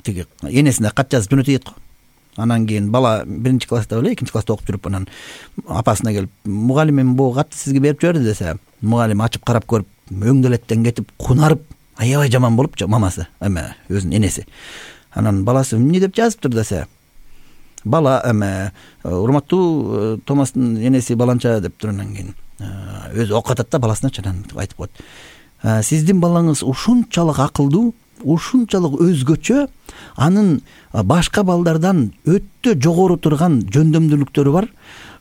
тиги энесине кат жазып жөнөтөйт го. Анан кийин бала биринчи класста эле, экинчи класста окуп жүрүп, анан апасына келип, мугалимим бул катты сизге берип жиберди десе, мугалим ачып карап көрүп, өңдөлеттен кетип, кунарып, аябай жаман болупчу мамасы, эме өзүнүн энеси. Анан баласы эмне деп жазыптыр десе, бала эме урматтуу Томастын энеси баланча деп тургандан кийин өзү окуп атат да баласыначы, анан айтып коет. Сиздин балаңыз ушунчалык акылдуу, ушунчалык өзгөчө, анын башка балдардан өтө жогору турган жөндөмдүүлүктөрү бар.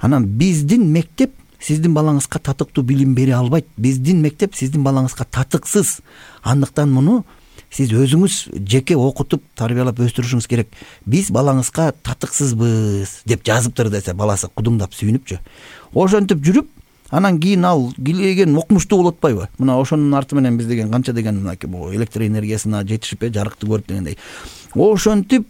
Анан биздин мектеп сиздин балаңызга татыктуу билим бере албайт. Биздин мектеп сиздин балаңызга татыксыз. Андыктан муну сиз өзүңүз жеке окутуп, тарбиялап өстүрүшүңүз керек. Биз балаңызга татыксызбыз деп жазыптыр десе, баласы кудуңдап сүйүнүпчү. Ошентип жүрүп, анан кийин ал килеген окумуштуу болуп атпайбы? Мына ошонун арты менен биз деген канча деген бул электр энергиясына жетишип, жарыкты көрүп дегендей. Ошентип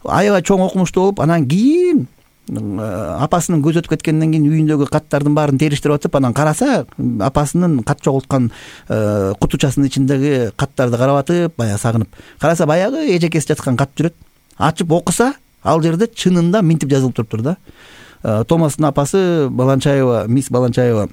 аябай чоң окумуштуу болуп, анан кийин апасынын көзү өтүп кеткенден кийин үйүндөгү каттардын баарын териштирип атып, анан караса, апасынын кат жоголткан кутучасынын ичиндеги каттарды карап атып, баягы сагынып, караса баягы эжекеси жаткан кат жүрөт. Ачып окуса, ал жерде чынында минтип жазылып туруптур да. Томастын апасы Баланчаева, мисс Баланчаева,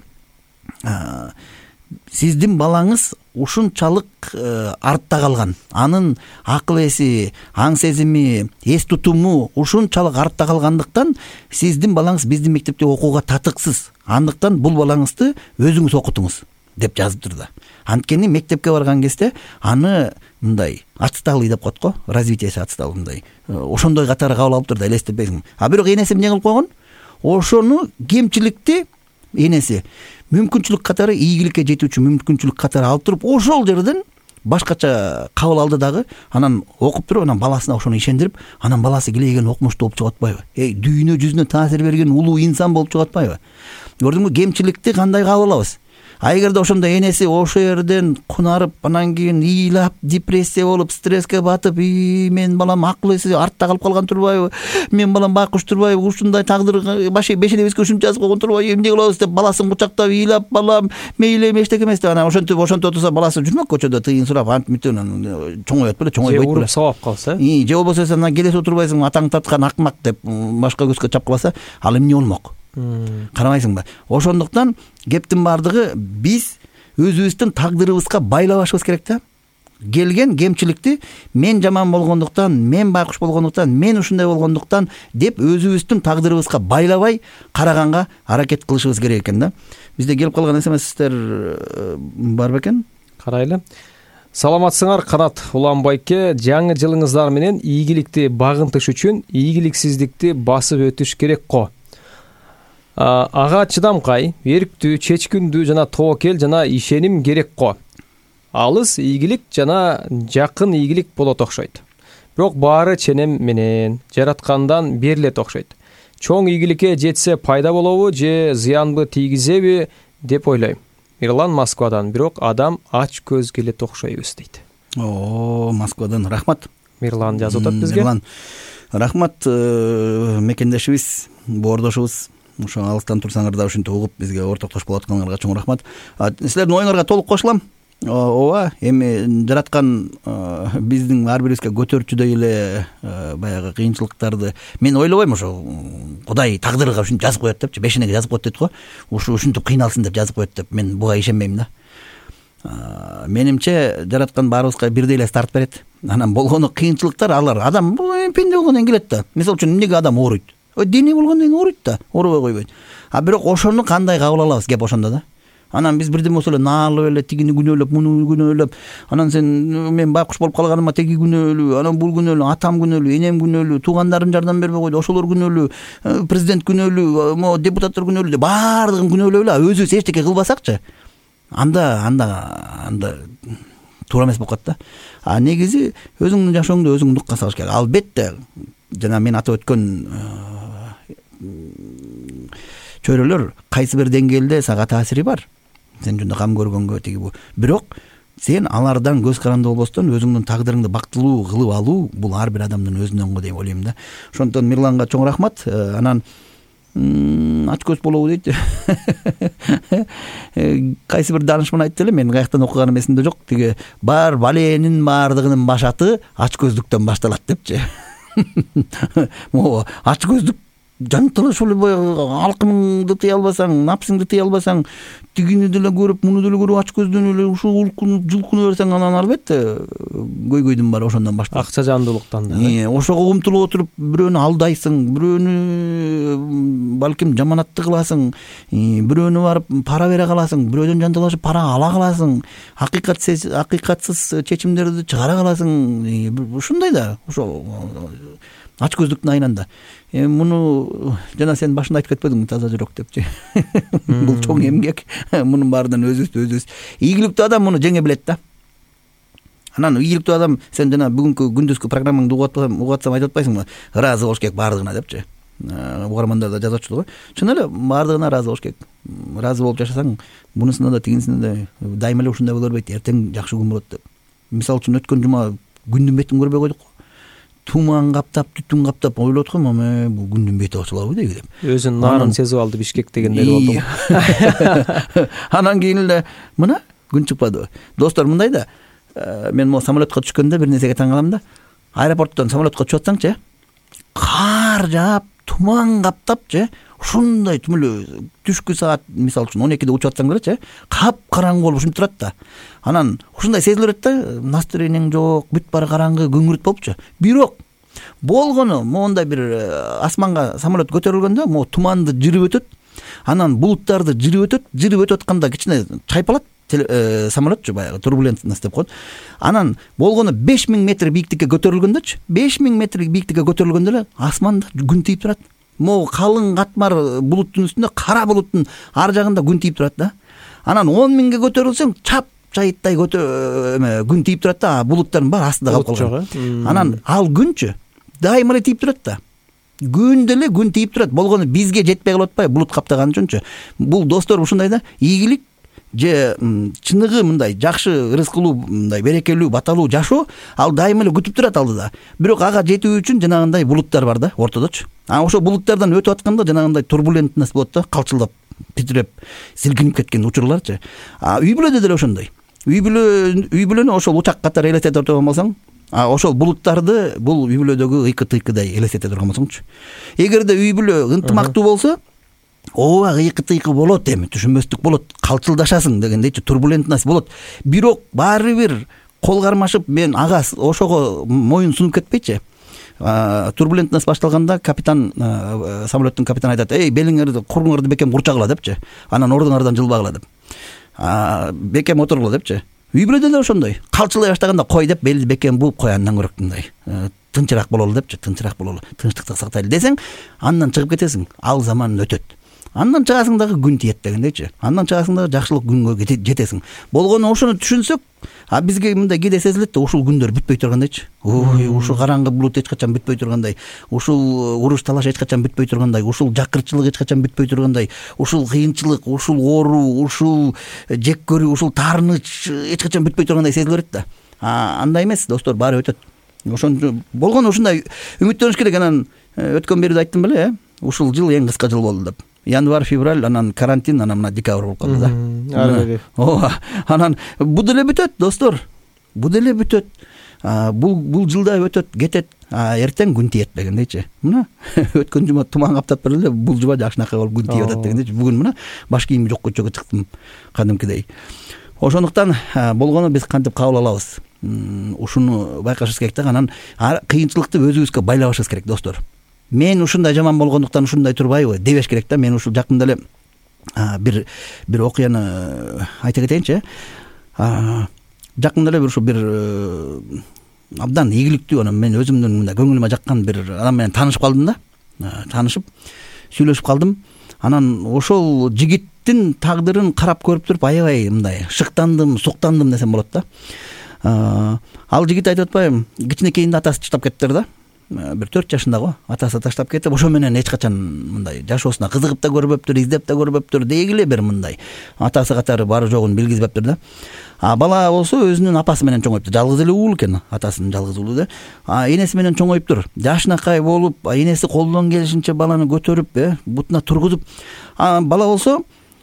сиздин балаңыз ушунчалык артта калган. Анын акыл эси, аң сезими, эс тутуму ушунчалык артта калгандыктан сиздин балаңыз биздин мектепте окууга татыксыз. Андыктан бул балаңызды өзүңүз окутуңуз деп жазыптыр да. Анткени мектепке барган кезде аны мындай отсталый деп коет го, развитиеси отсталый мындай. Ошондой катары кабыл алыптыр да, элестетпейсиң. А бирок энеси эмне кылып койгон? Ошону кемчиликти энеси мүмкүнчүлүк катары, ийгиликке жетүүчү мүмкүнчүлүк катары алып туруп, ошол жерден башкача кабыл алды дагы, анан окуп туруп, анан баласына ошону ишендирип, анан баласы келеген окумуштуу болуп чыгып атпайбы? Эй, дүйнө жүзүнө таасир берген улуу инсан болуп чыгып атпайбы? Көрдүңбү, кемчиликти кандай кабыл алабыз? А эгерде ошондо энеси ошо жерден кунарып, анан кийин ыйлап, депрессия болуп, стресске батып, и мен балам акыл эси артта калып калган турбайбы? Мен балам байкуш турбайбы? Ушундай тагдыр бешенебизге ушинтип жазып койгон турбайбы? Эмне кылабыз деп баласын кучактап ыйлап, балам мейли эме эчтеке эмес деп анан ошентип ошентип отурса, баласы жүрмөк көчөдө тыйын сурап, антип мынтип анан чоңойот беле, чоңойбойт беле. Уруп сабап калса, И же болбосо анан келесип отурбайсың, атаң таткан акмак деп башка көзгө чапкыласа, ал эмне болмок? Карабайсыңбы? Ошондуктан кептин баардыгы биз өзүбүздүн тагдырыбызга байлабашыбыз керек да. Келген кемчиликти мен жаман болгондуктан, мен байкуш болгондуктан, мен ушундай болгондуктан деп өзүбүздүн тагдырыбызга байлабай караганга аракет кылышыбыз керек экен да. Бизде келип калган смстер бар бекен? Карайлы. Саламатсыңар, Канат Уланбайке. Жаңы жылыңыздар менен ийгиликти багынтыш үчүн ийгиликсиздикти басып өтүш керек го. Ага чыдамкай, эрктүү, чечкиндүү жана тоокел жана ишеним керек го. Алыс ийгилик жана жакын ийгилик болот окшойт. Бирок баары ченем менен жараткандан берилет окшойт. Чоң ийгиликке жетсе пайда болобу же зыянбы тийгизеби деп ойлойм. Мирлан Москвадан. Бирок адам ач көз келет окшойбуз дейт. О, Москвадан рахмат. Мирлан жазып атат бизге. Мирлан, рахмат, мекендешибиз, боордошубуз. Ошо алыстан турсаңар да ушинтип угуп бизге ортоктош болуп атканыңарга чоң рахмат. Силердин оюңарга толук кошулам. Ооба, эми жараткан биздин ар бирибизге көтөрчүдөй эле баягы кыйынчылыктарды мен ойлобойм, ошо Кудай тагдырга ушинтип жазып коет депчи, бешенеге жазып коет дейт го. Ушу ушинтип кыйналсын деп жазып коет деп мен буга ишенбейм да. Менимче жараткан баарыбызга бирдей эле старт берет. Анан болгону кыйынчылыктар, алар адам пенде болгондон келет да. Мисалы үчүн эмнеге адам ооруйт? Дене болгондон кийин ооруйт да, оорубай койбойт. А бирок ошону кандай кабыл алабыз, кеп ошондо да. Анан биз бирден болсо эле наалып эле тигини күнөөлөп, муну күнөөлөп, анан сен мен байкуш болуп калганыма теги күнөөлүү, анан бул күнөөлүү, атам күнөөлүү, энем күнөөлүү, туугандарым жардам бербей койду, ошолор күнөөлүү, президент күнөөлүү, могу депутаттар күнөөлүү деп баардыгын күнөөлөп эле өзүбүз эчтеке кылбасакчы, анда анда анда туура эмес болуп калат да. А негизи өзүңдүн жашооңду өзүң нукка салыш керек. Албетте, жана мен атап өткөн чөйрөлөр кайсы бир деңгээлде сага таасири бар. Сен жөнүндө кам көргөнгө тиги бу. Бирок сен алардан көз каранды болбостон өзүңдүн тагдырыңды бактылуу кылып алуу бул ар бир адамдын өзүнөн го деп ойлойм да. Ошондон Мирланга чоң рахмат. Анан ач көз болобу дейт. Кайсы бир даанышман айтты эле, мен каяктан окуганым эсимде жок. Тиги бар баленин баардыгынын башаты ач көздүктөн башталат депчи. Могу ач көздүк жантылы ушул алкымыңды тыя албасаң, напсыңды тыя албасаң, тигини деле көрүп, муну деле көрүп ач көздөн эле ушул улкунуп, жылкынып берсең, анан албетте көйгөйдүн баары ошондон башталат. Акча жандуулуктан да. Ошого умтулуп отуруп, бирөөнү алдайсың, бирөөнү балким жаманатты кыласың, бирөөнү барып пара бере каласың, бирөөдөн жанталашып пара ала каласың, акыйкатсыз акыйкатсыз чечимдерди чыгара каласың. Ушундай да, ошо ач көздүктүн айынан да. Муну жана сен башында айтып кетпедиңби, таза жүрөк депчи. Бул чоң эмгек. Мунун баарынан өзүбүз өзүбүз ийгиликтүү адам муну жеңе билет да. Анан ийгиликтүү адам, сен жана бүгүнкү күндүзгү программаңды угуп атсам айтып атпайсыңбы? Ыраазы болуш керек баардыгына депчи. Угармандар да жазып атчу го. Чын эле баардыгына ыраазы болуш керек. Ыраазы болуп жашасаң, мунусуна да тигинисине да дайыма эле ушундай боло бербейт, эртең жакшы күн болот деп. Мисалы үчүн өткөн жума күндүн бетин көрбөй койдук. Туман каптап, түтүн каптап ойлоп аткам, ама бул күндүн бети ачылабы деги деп. Өзүн нарын сезип алды Бишкек дегендер болду. Анан кийин эле мына күн чыкпады. Достор, мындай да, мен могу самолетко түшкөндө бир нерсеге таң калам да. Аэропорттон самолетко түшүп атсаңчы, кар жаап, туман каптапчы, ушундай түмөлө түшкү саат мисалы үчүн он экиде учуп атсаң делечи, кап-караңгы болуп ушинтип турат да. Анан ушундай сезиле берет да, настроениең жок, бүт баары караңгы, күңүрт болупчу. Бирок болгону моундай бир асманга самолет көтөрүлгөндө, могу туманды жырып өтөт, анан булуттарды жырып өтөт, жырып өтүп атканда кичине чайпалат самолетчу, баягы турбулентность деп коет. Анан болгону беш миң метр бийиктикке көтөрүлгөндөчү, беш миң метр бийиктикке көтөрүлгөндө эле асманда күн тийип турат. Могу калың катмар булуттун үстүндө, кара булуттун ар жагында күн тийип турат да. Анан он миңге көтөрүлсөң, чап жайыттай көтө эме күн тийип турат да, булуттардын баары астында калып калган. Анан ал күнчү дайыма эле тийип турат да. Күн деле күн тийип турат. Болгону бизге жетпей калып атпайбы булут каптаган үчүнчү. Бул достор ушундай да, ийгилик же чыныгы мындай жакшы ырыскылуу, мындай берекелүү, баталуу жашоо ал дайыма эле күтүп турат алдыда. Бирок ага жетүү үчүн жанагындай булуттар бар да ортодочу. А ошо булуттардан өтүп атканда жанагындай турбулентность болот да, калчылдап, титиреп, силкинип кеткен учурларчы. А үй бүлөдө деле ошондой. Үй бүлө үй бүлөнү ошол учак катары элестете турган болсоң, а ошол булуттарды бул үй бүлөдөгү ыйкы-тыйкыдай элестете турган болсоңчу. Эгерде үй бүлө ынтымактуу болсо, ооба ыйкы-тыйкы болот, эми түшүнбөстүк болот, калчылдашасың дегендейчи, турбулентность болот. Бирок баары бир кол кармашып, мен ага ошого моюн сунуп кетпейчи. Турбулентность башталганда капитан, самолеттин капитаны айтат: "Эй, белиңерди, кургуңарды бекем курчагыла" депчи. Анан ордуңардан жылбагыла деп. Бекем отургула депчи. Үй бүлөдө деле ошондой. Калчылай баштаганда кой деп белди бекем бууп кой, андан көрөк мындай тынчыраак бололу депчи, тынчыраак бололу, тынчтыкты сактайлы десең, андан чыгып кетесиң. Ал заман өтөт. Андан чыгасың дагы күн тиет дегендейчи. Андан чыгасың дагы жакшылык күнгө жетесиң. Болгону ошону түшүнсөк, а бизге мындай кээде сезилет да, ушул күндөр бүтпөй тургандайчы. Ой, ушул караңгы булут эч качан бүтпөй тургандай, ушул уруш талаш эч качан бүтпөй тургандай, ушул жакырчылык эч качан бүтпөй тургандай, ушул кыйынчылык, ушул оору, ушул жек көрүү, ушул таарыныч эч качан бүтпөй тургандай сезиле берет да. А андай эмес, достор, баары өтөт. Ошондо болгону ушундай үмүттөнүш керек. Анан өткөн берүүдө айттым беле, э? Ушул жыл эң кыска жыл болду деп. Январь, февраль, анан карантин, анан мына декабрь болуп калды да. Ооба. Анан бул деле бүтөт, достор. Бул деле бүтөт. Бул бул жылда өтөт, кетет. А эртең күн тиет дегендейчи. Мына өткөн жума туман каптап берди эле, бул жума жакшынакай болуп күн тиеп атат дегендейчи. Бүгүн мына баш кийимди жок көчөгө чыктым кадимкидей. Ошондуктан болгону биз кантип кабыл алабыз? Ушуну байкашыбыз керек да. Анан кыйынчылыкты өзүбүзгө байлабашыбыз керек, достор. Мен ушундай жаман болгондуктан ушундай турбайбы дебеш керек да. Мен ушул жакында эле бир бир окуяны айта кетейинчи. Жакында эле бир ушу бир абдан ийгиликтүү, анан мен өзүмдүн мындай көңүлүмө жаккан бир адам менен таанышып калдым да. Таанышып, сүйлөшүп калдым. Анан ошол жигиттин тагдырын карап көрүп туруп аябай мындай шыктандым, суктандым десем болот да. Ал жигит айтып атпайбы, кичинекейинде атасы таштап кетиптир да. Бир төрт жашында го, атасы таштап кетип, ошо менен эч качан мындай жашоосуна кызыгып да көрбөптүр, издеп да көрбөптүр, дегиле бир мындай атасы катары бары жогун билгизбептир да. А бала болсо өзүнүн апасы менен чоңойуптур. Жалгыз эле уул экен, атасынын жалгыз уулу да. А энеси менен чоңоюптур. Жашынакай болуп, энеси колдон келишинче баланы көтөрүп, э, бутуна тургузуп, а бала болсо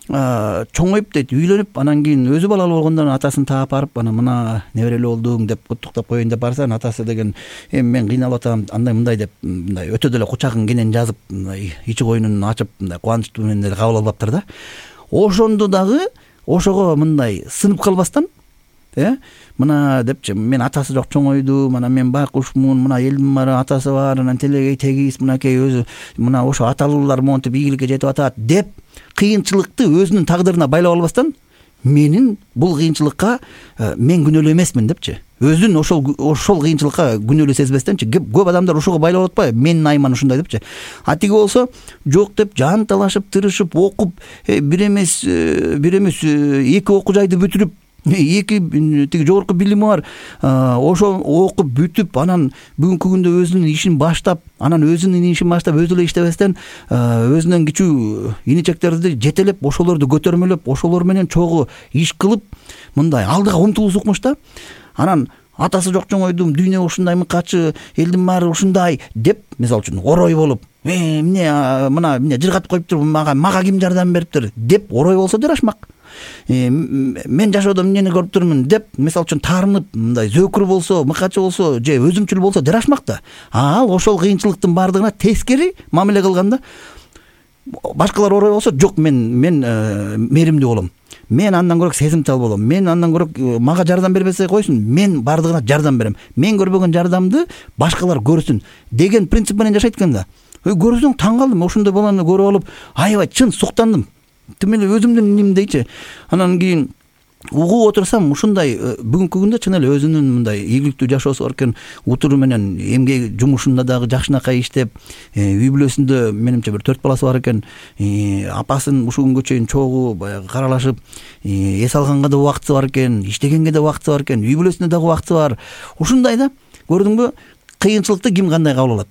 чоңоюп дейт, үйлөнүп, анан кийин өзү балалуу болгондон атасын таап барып, анан мына неберелүү болдуң деп куттуктап коеюн деп барса, атасы деген эми мен кыйналып атам, андай мындай деп мындай өтө деле кучагын кенен жазып, мындай ичи койнун ачып, мындай кубанычтуу менен эле кабыл алыптыр да. Ошондо дагы ошого мындай сынып калбастан, э, мына депчи, мен атасы жок чоңойдум, анан мен байкушмун, мына элдин баары атасы бар, анан телегей тегиз, мынакей өзү мына ошо аталуулар монтип ийгиликке жетип атат деп кыйынчылыкты өзүнүн тагдырына байлап албастан, менин бул кыйынчылыкка мен күнөөлүү эмесмин депчи. Өзүн ошол ошол кыйынчылыкка күнөөлүү сезбестенчи, көп адамдар ошого байлап атпайбы, менин айман ушундай депчи. А тиги болсо жок деп жан талашып, тырышып, окуп, бир эмес бир эмес эки окуу жайды бүтүрүп, эки тиги жогорку билими бар, ошол окуп бүтүп, анан бүгүнкү күндө өзүнүн ишин баштап, анан өзүнүн ишин баштап өзү эле иштебестен өзүнөн кичүү иничектерди жетелеп, ошолорду көтөрмөлөп, ошолор менен чогуу иш кылып, мындай алдыга умтулуус укмуш да. Анан атасы жок чоңойдум, дүйнө ушундай мыкачы, элдин баары ушундай деп, мисалы үчүн орой болуп, э эмне мына эмне жыргатып коюптур, мага мага ким жардам бериптир деп орой болсо жарашмак. Мен жашоодо эмнени көрүп турмун деп, мисалы үчүн таарынып, мындай зөөкүр болсо, мыкачы болсо, же өзүмчүл болсо жарашмак да. Ал ошол кыйынчылыктын баардыгына тескери мамиле кылганда, башкалар орой болсо, жок, мен мен мээримдүү болом. Мен андан көрөк сезимтал болом. Мен андан көрөк мага жардам бербесе койсун, мен бардыгына жардам берем. Мен көрбөгөн жардамды башкалар көрсүн деген принцип менен жашайт экен да. Көрсөң таң калдым, ошондой баланы көрүп алып, аябай чын суктандым. Тим эле өзүмдүн нимдейчи. Анан кийин угуп отурсам ушундай бүгүнкү күндө чын эле өзүнүн мындай ийгиликтүү жашоосу бар экен, утуру менен эмгек жумушунда дагы жакшынакай иштеп, үй бүлөсүндө менимче бир төрт баласы бар экен, апасын ушул күнгө чейин чогуу баягы каралашып, эс алганга да убакыты бар экен, иштегенге да убакыты бар экен, үй бүлөсүнө дагы убакыты бар. Ушундай да, көрдүңбү, кыйынчылыкты ким кандай кабыл алат?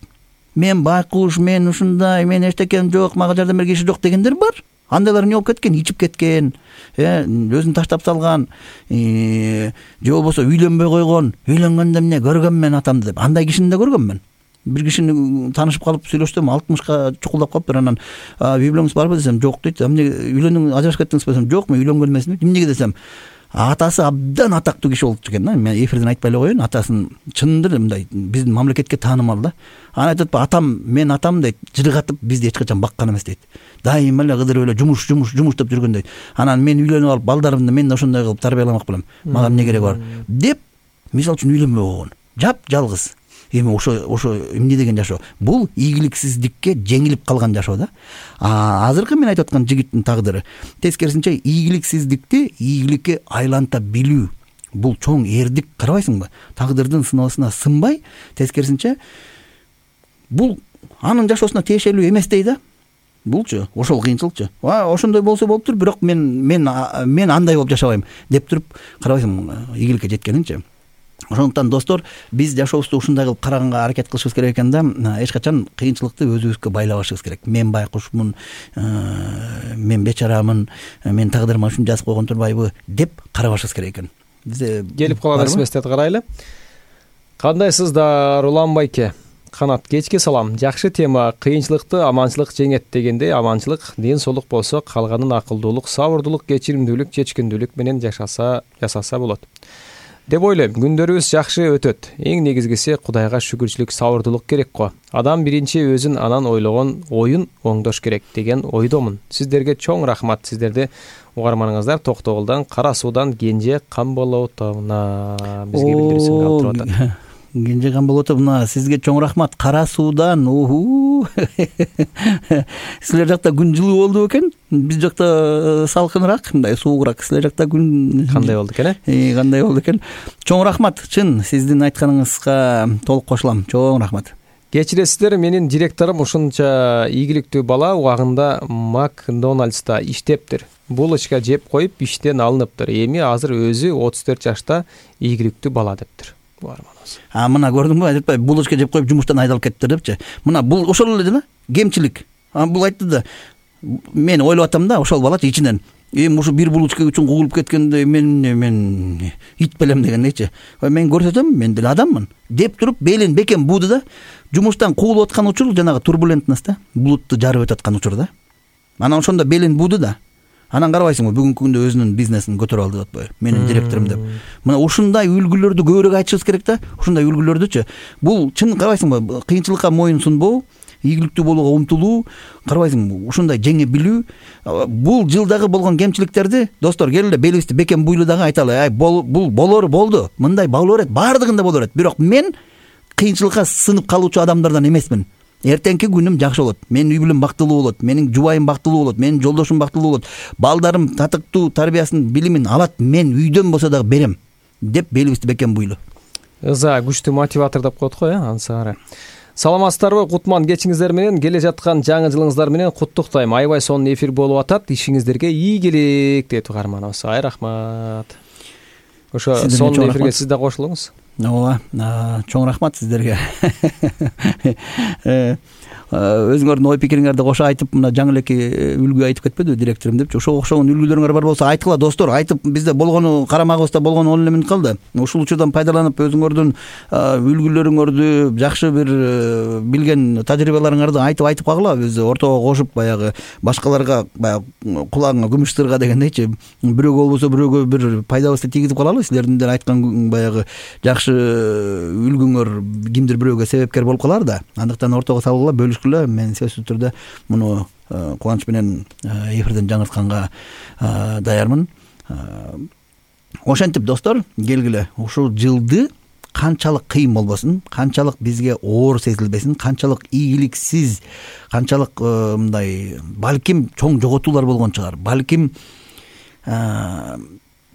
Мен байкуш, мен ушундай, мен эчтекем жок, мага жардам берген киши жок дегендер бар. Андайлар эмне болуп кеткен? Ичип кеткен, өзүн таштап салган, же болбосо үйлөнбөй койгон, үйлөнгөндө эмне көргөм мен атамды деп. Андай кишини да көргөммүн. Бир кишини таанышып калып сүйлөштүм, алтымышка чукулдап калыптыр. Анан үй бүлөңүз барбы десем, жок дейт. Эмне үйлөндүң, ажырашып кеттиңизби десем, жок, мен үйлөнгөн эмесмин. Эмнеге десем, атасы абдан атактуу киши болчу экен да. Мен эфирден айтпай эле коеюн, атасын чынында мындай биздин мамлекетке таанымал да. Анан айтат, атам, мен атам дейт, жыргатып бизди эч качан баккан эмес дейт. Дайыма эле кыдырып эле жумуш, жумуш, жумуш деп жүргөн дейт. Анан мен үйлөнүп алып, балдарымды мен ошондой кылып тарбияламак белем. Мага эмне кереги бар деп, мисалы үчүн үйлөнбөй койгон. Жап жалгыз. Эми ошо ошо эмне деген жашоо? Бул ийгиликсиздикке жеңилип калган жашоо да. А азыркы мен айтып аткан жигиттин тагдыры тескерисинче ийгиликсиздикти ийгиликке айланта билүү. Бул чоң эрдик, карабайсыңбы? Тагдырдын сыноосуна сынбай, тескерисинче бул анын жашоосуна тиешелүү эмес дей да. Булчу, ошол кыйынчылыкчы. Ошондой болсо болуптур, бирок мен мен мен андай болуп жашабайм деп туруп, карабайсың ийгиликке жеткенинчи. Ошондуктан достор, биз жашообузду ушундай кылып караганга аракет кылышыбыз керек экен да, эч качан кыйынчылыкты өзүбүзгө байлабашыбыз керек. Мен байкушмун, мен бечарамын, мен тагдырыма ушуну жазып койгон турбайбы деп карабашыбыз керек экен. Бизде келип калган смстти карайлы. Кандайсыздар, Улан байке? Канат, кечке салам. Жакшы тема. Кыйынчылыкты аманчылык жеңет дегенде, аманчылык, ден соолук болсо, калганын акылдуулук, сабырдуулук, кечиримдүүлүк, чечкиндүүлүк менен жашаса, жасаса болот деп ойлойм. Күндөрүбүз жакшы өтөт. Эң негизгиси Кудайга шүгүрчүлүк, сабырдуулук керек го. Адам биринчи өзүн анан ойлогон оюн оңдош керек деген ойдомун. Сиздерге чоң рахмат. Сиздерди угарманыңыздар Токтогулдан, Кара Суудан Кенже Камболотовна бизге билдирүүсүн калтырып атат. Кенже Камболотовна, сизге чоң рахмат. Кара Суудан. Силер жакта күн жылуу болду экен? Биз жакта салкыныраак, мындай суугураак. Силер жакта күн кандай болду экен, э? Кандай болду экен? Чоң рахмат. Чын, сиздин айтканыңызга толук кошулам. Чоң рахмат. Кечиресиздер, менин директорум ушунча ийгиликтүү бала убагында Макдональдста иштептир. Булочка жеп коюп иштен алыныптыр. Эми азыр өзү отуз төрт жашта ийгиликтүү бала дептир. А мына көрдүңбү, айтпай булочка жеп коюп жумуштан айдалып кеттиптир депчи. Мына бул ошол эле да, кемчилик. А бул айтты да, мен ойлоп атам да, ошол балачы ичинен. Эми ушу бир булочка үчүн кугулуп кеткенде мен мен ит белем дегендейчи. Мен көрсөтөм, мен деле адаммын деп туруп белин бекем бууду да, жумуштан куулуп аткан учур жанагы турбулентность да, булутту жарып өтүп аткан учур да. Анан ошондо белин бууду да. Анан карабайсыңбы, бүгүнкү күндө өзүнүн бизнесин көтөрүп алды деп атпайбы? Менин директорум деп. Мына ушундай үлгүлөрдү көбүрөөк айтышыбыз керек да. Ушундай үлгүлөрдүчү. Бул чын карабайсыңбы, кыйынчылыкка моюн сунбоо, ийгиликтүү болууга умтулуу, карабайсыңбы, ушундай жеңе билүү. Бул жылдагы болгон кемчиликтерди, достор, келгиле белибизди бекем буйлу дагы айталы. Ай, бул болору болду. Мындай болор эт, баардыгында болор эт. Бирок мен кыйынчылыкка сынып калуучу адамдардан эмесмин. Эртеңки күнүм жакшы болот. Менин үй бүлөм бактылуу болот, менин жубайым бактылуу болот, менин жолдошум бактылуу болот. Балдарым татыктуу тарбиясын, билимин алат, мен үйдөн болсо дагы берем деп белибизди бекем буйлу. Ыза күчтүү мотиватор деп коет го, э, ансары. Саламатсыздарбы? Кутман кечиңиздер менен, келе жаткан жаңы жылыңыздар менен куттуктайм. Айбай сонун эфир болуп атат. Ишиңиздерге ийгилик дейт угарманыбыз. Ай рахмат. Ошо сонун эфирге сиз да кошулуңуз. Ооба, чоң рахмат сиздерге. Өзүңөрдүн ой пикириңерди кошо айтып, мына жаңы элеки үлгү айтып кетпедиби директорум депчи. Ошого окшогон үлгүлөрүңөр бар болсо айткыла достор, айтып бизде болгону карамагыбызда болгону он эле мүнөт калды. Ушул учурдан пайдаланып өзүңөрдүн үлгүлөрүңөрдү, жакшы бир билген тажрыйбаларыңарды айтып айтып кагыла. Биз ортого кошуп баягы башкаларга баягы кулагыңа күмүш сырга дегендейчи, бирөөгө болбосо бирөөгө бир пайдабызды тийгизип калалы. Силердин айткан баягы жакшы үлгүңөр кимдир бирөөгө себепкер болуп калар да. Андыктан ортого салгыла, бөлүшкүлө. Мен сөзсүз түрдө муну кубаныч менен эфирден жаңыртканга даярмын. Ошентип достор, келгиле ушул жылды канчалык кыйын болбосун, канчалык бизге оор сезилбесин, канчалык ийгиликсиз, канчалык мындай балким чоң жоготуулар болгон чыгар. Балким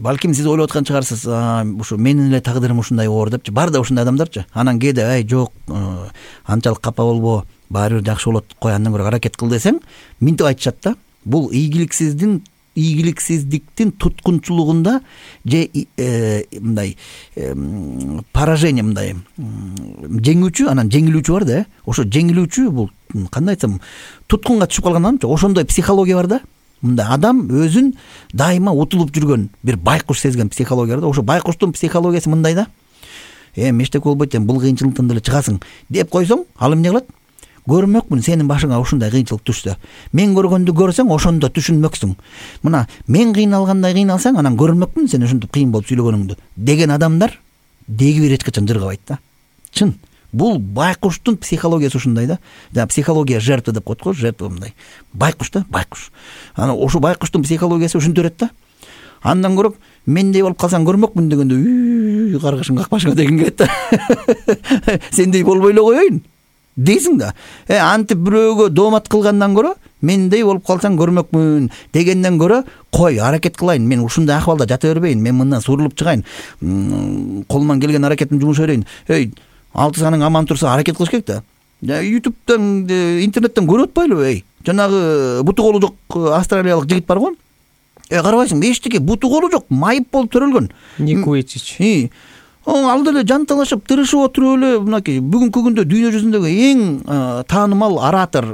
балким сиз ойлоп аткан чыгарсыз, ушу менин эле тагдырым ушундай оор депчи. Бар да ушундай адамдарчы. Анан кээде ай жок, анчалык капа болбо, баары бир жакшы болот, кой андан көрө аракет кыл десең, минтип айтышат да. Бул ийгиликсиздин ийгиликсиздиктин туткунчулугунда же мындай поражение, мындай жеңүүчү анан жеңилүүчү бар да. Ошо жеңилүүчү бул кандай айтсам, туткунга түшүп калган адамчы. Ошондой психология бар да. Мындай адам өзүн дайыма утулуп жүргөн, бир байкуш сезген психология бар да. Ошо байкуштун психологиясы мындай да. Э, мештек болбойт, бул кыйынчылыктан деле чыгасың деп койсоң, ал эмне кылат? Көрмөкмүн сенин башыңа ушундай кыйынчылык түшсө. Мен көргөндү көрсөң, ошондо түшүнмөксүң. Мына, мен кыйналгандай кыйналсаң, анан көрмөкмүн сен ушинтип кыйын болуп сүйлөгөнүңдү деген адамдар деги бир эч качан жыргабайт да. Чын. Бул байкуштун психологиясы ушундай да. Да, психология жертвы деп коет го, жертва мындай. Байкуш да, байкуш. Анан ошо байкуштун психологиясы ушинтип берет да. Андан көрөп, мендей болуп калсаң көрмөкмүн дегенде, каргышың какпашыңа деген келет да. Сендей болбой эле коеюн дейсиң да. Э, антип бирөөгө доомат кылгандан көрө, мендей болуп калсаң көрмөкмүн дегенден көрө, кой, аракет кылайын, мен ушундай акыбалда жата бербейин, мен мындан сурулуп чыгайын, колуман келген аракетимди жумуша берейин. Эй, алты саның аман турса аракет кылыш керек да. ютубтан, интернеттен көрүп атпайлыбы, эй? Жанагы буту колу жок австралиялык жигит бар го. Э, карабайсың, эчтеке буту колу жок, майып болуп төрөлгөн. Ник Вуйчич. И, ал деле жанталашып, тырышып отуруп эле мынакей бүгүнкү күндө дүйнө жүзүндөгү эң таанымал оратор,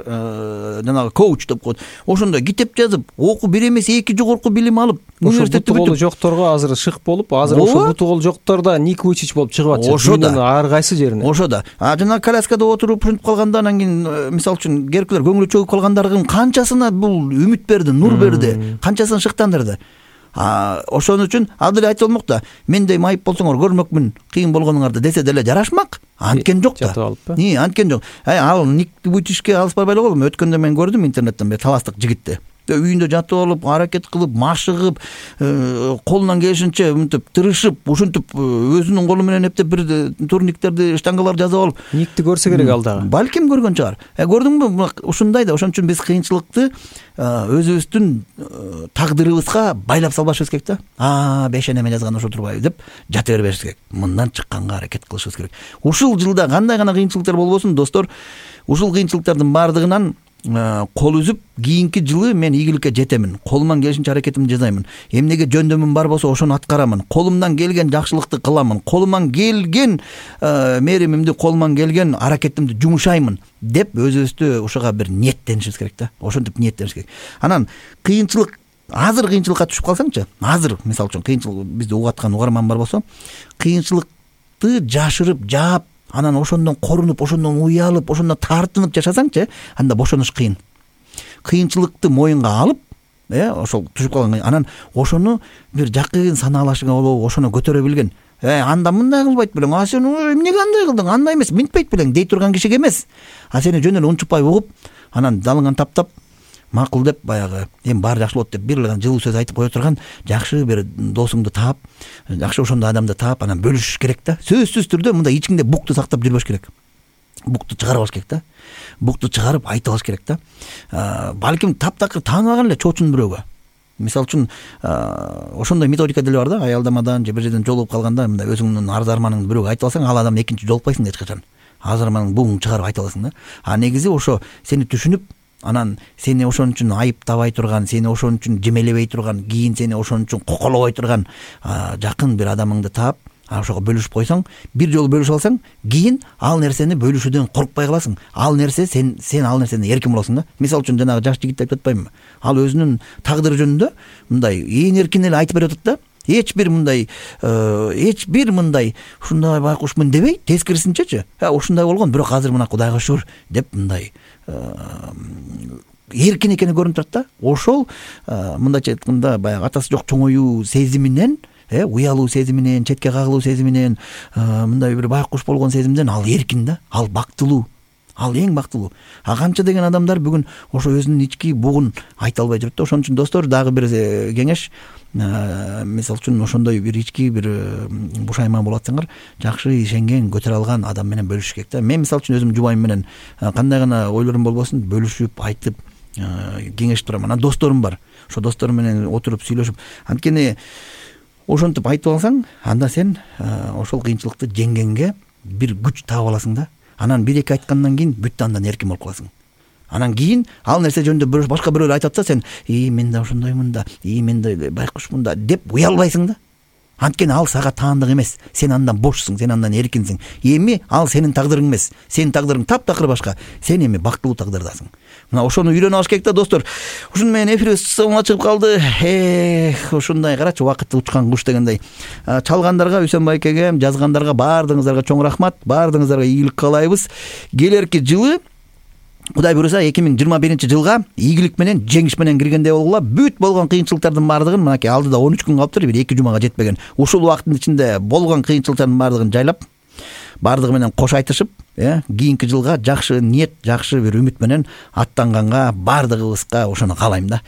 жанагы коуч деп коет. Ошондой китеп жазып, окуу бир эмес эки жогорку билим алып, университетти буту колу жокторго азыр шык болуп, азыр ошо буту колу жоктор да Ник Вуйчич болуп чыгып атышат. Ошо да ар кайсы жерине. Ошо да. А жана коляскада отуруп ушинтип калганда, анан кийин мисалы үчүн керкилер көңүлү чөгүп калгандардын канчасына бул үмүт берди, нур берди, канчасын шыктандырды. А ошон үчүн ал деле айтып болмокта, мендей майып болсоңор көрмөкмүн кыйын болгонуңарды десе деле жарашмак. Анткен жок да. И, анткен жок. Ай, ал Ник Вуйчичке алыс барбай эле колдум. Өткөндө мен көрдүм интернеттен бир таластык жигитти. Үйүндө жатып алып, аракет кылып, машыгып, колунан келишинче мынтип тырышып, ушинтип өзүнүн колу менен эптеп бир турниктерди, штангалар жазып алып. Никти көрсө керек ал дагы. Балким көргөн чыгар. Э, көрдүңбү? Ушундай да. Ошон үчүн биз кыйынчылыкты өзүбүздүн тагдырыбызга байлап салбашыбыз керек да. А, бешенеме жазган ошо турбайбы деп жата бербешибиз керек. Мындан чыкканга аракет кылышыбыз керек. Ушул жылда кандай гана кыйынчылыктар болбосун, достор, ушул кыйынчылыктардын баардыгынан кол үзүп, кийинки жылы мен ийгиликке жетемин. Колуман келишинче аракетимди жасаймын. Эмнеге жөндөмүм бар болсо ошону аткарамын. Колумдан келген жакшылыкты кыламын. Колуман келген меримимди, колуман келген аракетимди жумушаймын деп өзүбүздү ушуга бир ниеттенишибиз керек да. Ошентип ниеттениш керек. Анан кыйынчылык, азыр кыйынчылыкка түшүп калсаңчы, азыр мисалы үчүн кыйынчылык бизди угуп аткан угарман бар болсо, кыйынчылыкты жашырып, жаап, анан ошондон корунуп, ошондон уялып, ошондон тартынып жашасаңчы, анда бошоnuш кыйын. Кыйынчылыкты моюнга алып, э, ошол түшүп калган, анан ошону бир жакын санаалашыңа болуп, ошону көтөрө билген. Э, анда мындай кылбайт белең, а сен эмнеге андай кылдың, андай эмес, минтпейт белең дей турган кишиге эмес. А сени жөн эле унчукпай угуп, анан залыңан таптап, макул деп, баягы эми баары жакшы болот деп бир эле жылуу сөз айтып кое турган жакшы бир досуңду таап, жакшы ошондой адамды таап, анан бөлүшүш керек да. Сөзсүз түрдө мындай ичиңде букту сактап жүрбөш керек. Букту чыгарып алыш керек да. Букту чыгарып айтып алыш керек да. Балким таптакыр тааныбаган эле чоочун бирөөгө. Мисалы үчүн ошондой методика деле бар да. Аялдамадан же бир жерден жолугуп калганда мындай өзүңдүн арз арманыңды бирөөгө айтып алсаң, ал адамды экинчи жолукпайсың эч качан. Арз арманыңды буң чыгарып айтып аласың да. А негизи ошо сени түшүнүп, анан сени ошон үчүн айыптабай турган, сени ошон үчүн жемелебей турган, кийин сени ошон үчүн коколобой турган жакын бир адамыңды таап, ошого бөлүшүп койсоң, бир жолу бөлүшүп алсаң, кийин ал нерсени бөлүшүүдөн коркпай каласың. Ал нерсе сен сен ал нерсени эркин болосуң да. Мисалы үчүн жанагы жаш жигит айтып атпаймынбы? Ал өзүнүн тагдыры жөнүндө мындай эң эркин эле айтып берип атат да. Эч бир мындай, эч бир мындай ушундай байкушмун дебей, тескерисинчечи. Ha, ушундай болгон, бирок азыр мына Кудайга шүгүр деп мындай эркин экени көрүнүп турат да. Ошол мындайча айтканда баягы атасы жок чоңоюу сезиминен, э, уялуу сезиминен, четке кагылуу сезиминен, мындай бир байкуш болгон сезимден ал эркин да, ал бактылуу. Ал эң бактылуу. А канча деген адамдар бүгүн ошо өзүнүн ички бугун айта албай жүрөт да. Ошон үчүн достор, дагы бир кеңеш, мисалы үчүн ошондой бир ички бир бушайман болуп атсаңар, жакшы ишенген, көтөрө алган адам менен бөлүшүш керек да. Мен мисалы үчүн өзүм жубайым менен кандай гана ойлорум болбосун, бөлүшүп, айтып, кеңешип турам. Анан досторум бар. Ошо досторум менен отуруп сүйлөшүп, анткени ошентип айтып алсаң, анда сен ошол кыйынчылыкты жеңгенге бир күч таап аласың да. Анан бир эки айткандан кийин бүт андан эркин болуп каласың. Анан кийин ал нерсе жөнүндө башка бирөө айтып атса, сен "И мен да ошондоймун да, и мен да байкушмун да" деп уялбайсың да. Анткени ал сага таандык эмес. Сен андан бошсуң, сен андан эркинсиң. Эми ал сенин тагдырың эмес. Сенин тагдырың таптакыр башка. Сен эми бактылуу тагдырдасың. Мына ошону үйрөнүп алыш керек да, достор. Ушуну менен эфирибиз соңуна чыгып калды. Эх, ушундай карачы, убакыт учкан куш дегендей. Чалгандарга, Үсөн байкеге, жазгандарга баардыгыңыздарга чоң рахмат. Баардыгыңыздарга ийгилик каалайбыз. Келерки жылы Кудай буйруса эки миң жыйырма биринчи жылга ийгилик менен, жеңиш менен киргендей болгула. Бүт болгон кыйынчылыктардын баардыгын мынакей алдыда он үч күн калыптыр, бир эки жумага жетпеген. Ушул убакыттын ичинде болгон кыйынчылыктардын баардыгын жайлап, баардыгы менен кош айтышып, э, кийинки жылга жакшы ниет, жакшы бир үмүт менен аттанганга баардыгыбызга ошону каалайм да.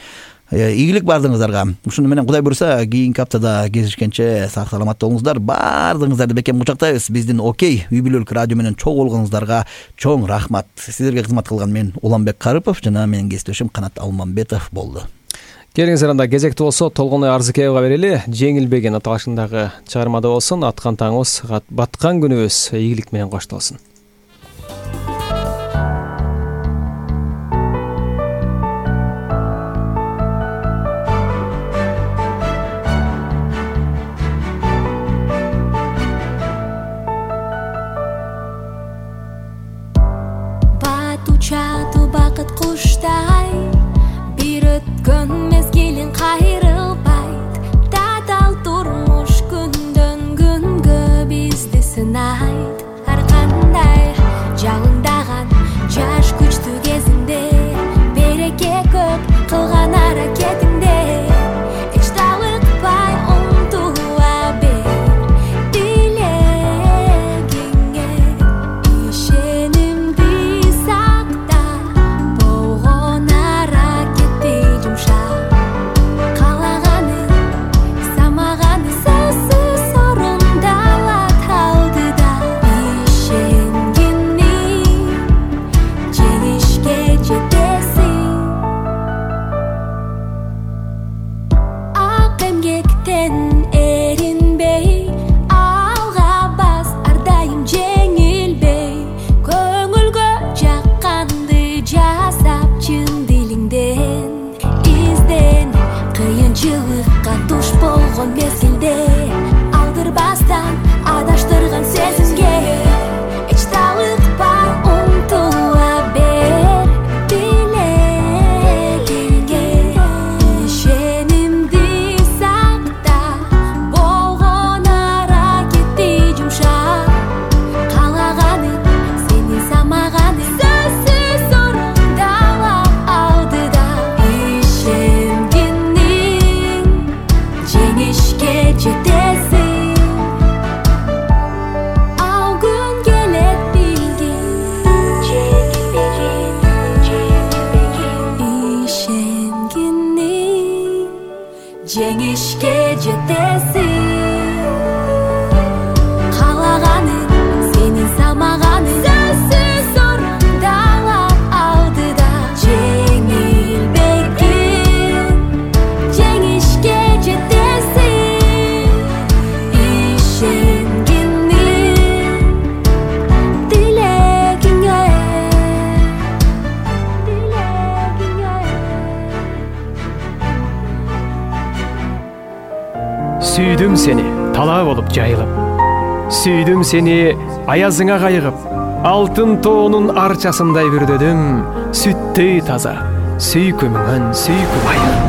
Ийгилик баардыгыңыздарга. Ушуну менен Кудай буйруса кийинки аптада кезишкенче сак саламат болуңуздар. Баардыгыңыздарды бекем кучактайбыз. Биздин Окей үй бүлөлүк радио менен чогуу болгонуңуздарга чоң рахмат. Сиздерге кызмат кылган мен Уланбек Карыпов жана менин кесиптешим Канат Алмамбетов болду. Келиңиздер, анда кезекти болсо Толгоной Арзыкеевга берели. Жеңилбеген аталышындагы чыгармада болсун. Аткан таңыбыз, баткан күнүбүз ийгилик менен коштолсун. Учату бакыт куштай, бир өткөн мезгилин кайрылбайт. Татал турмуш күндөн күнгө бизди сынайт. Ар кандай жалындаган жаш күчтүү кезинде, береке көп кылган аракетиңде, эч талыкпай умтула бер тилегиңе. Ишенимди кыйынчылыкка туш болгон мезгилде, алдырбастан адаштырган сезимге, эч талыкпай умтула бер тилегиңе. Ишенимди сакта, болгон аракетти жумшап, каалаганың сени самаганың сөзсүз орундалап алдыда. Жеңишке жетесиң, ал күн келет билгин, жеңилбегин, жеңилбегин. Ишенгиниң, жеңишке жетесиң, каалаганың сенин самаганың сөзсүз орундалап алдыда. Жеңилбегин, жеңишке жетесиң, ишенгиниң тилегиңе, тилегиңе. Сүйдүм сени талаа болуп жайылып, сүйдүм сени аязыңа кайыгып, алтын тоонун арчасындай бүрдөдүм, сүттөй таза сүйкүмүңөн сүйкүм айыр.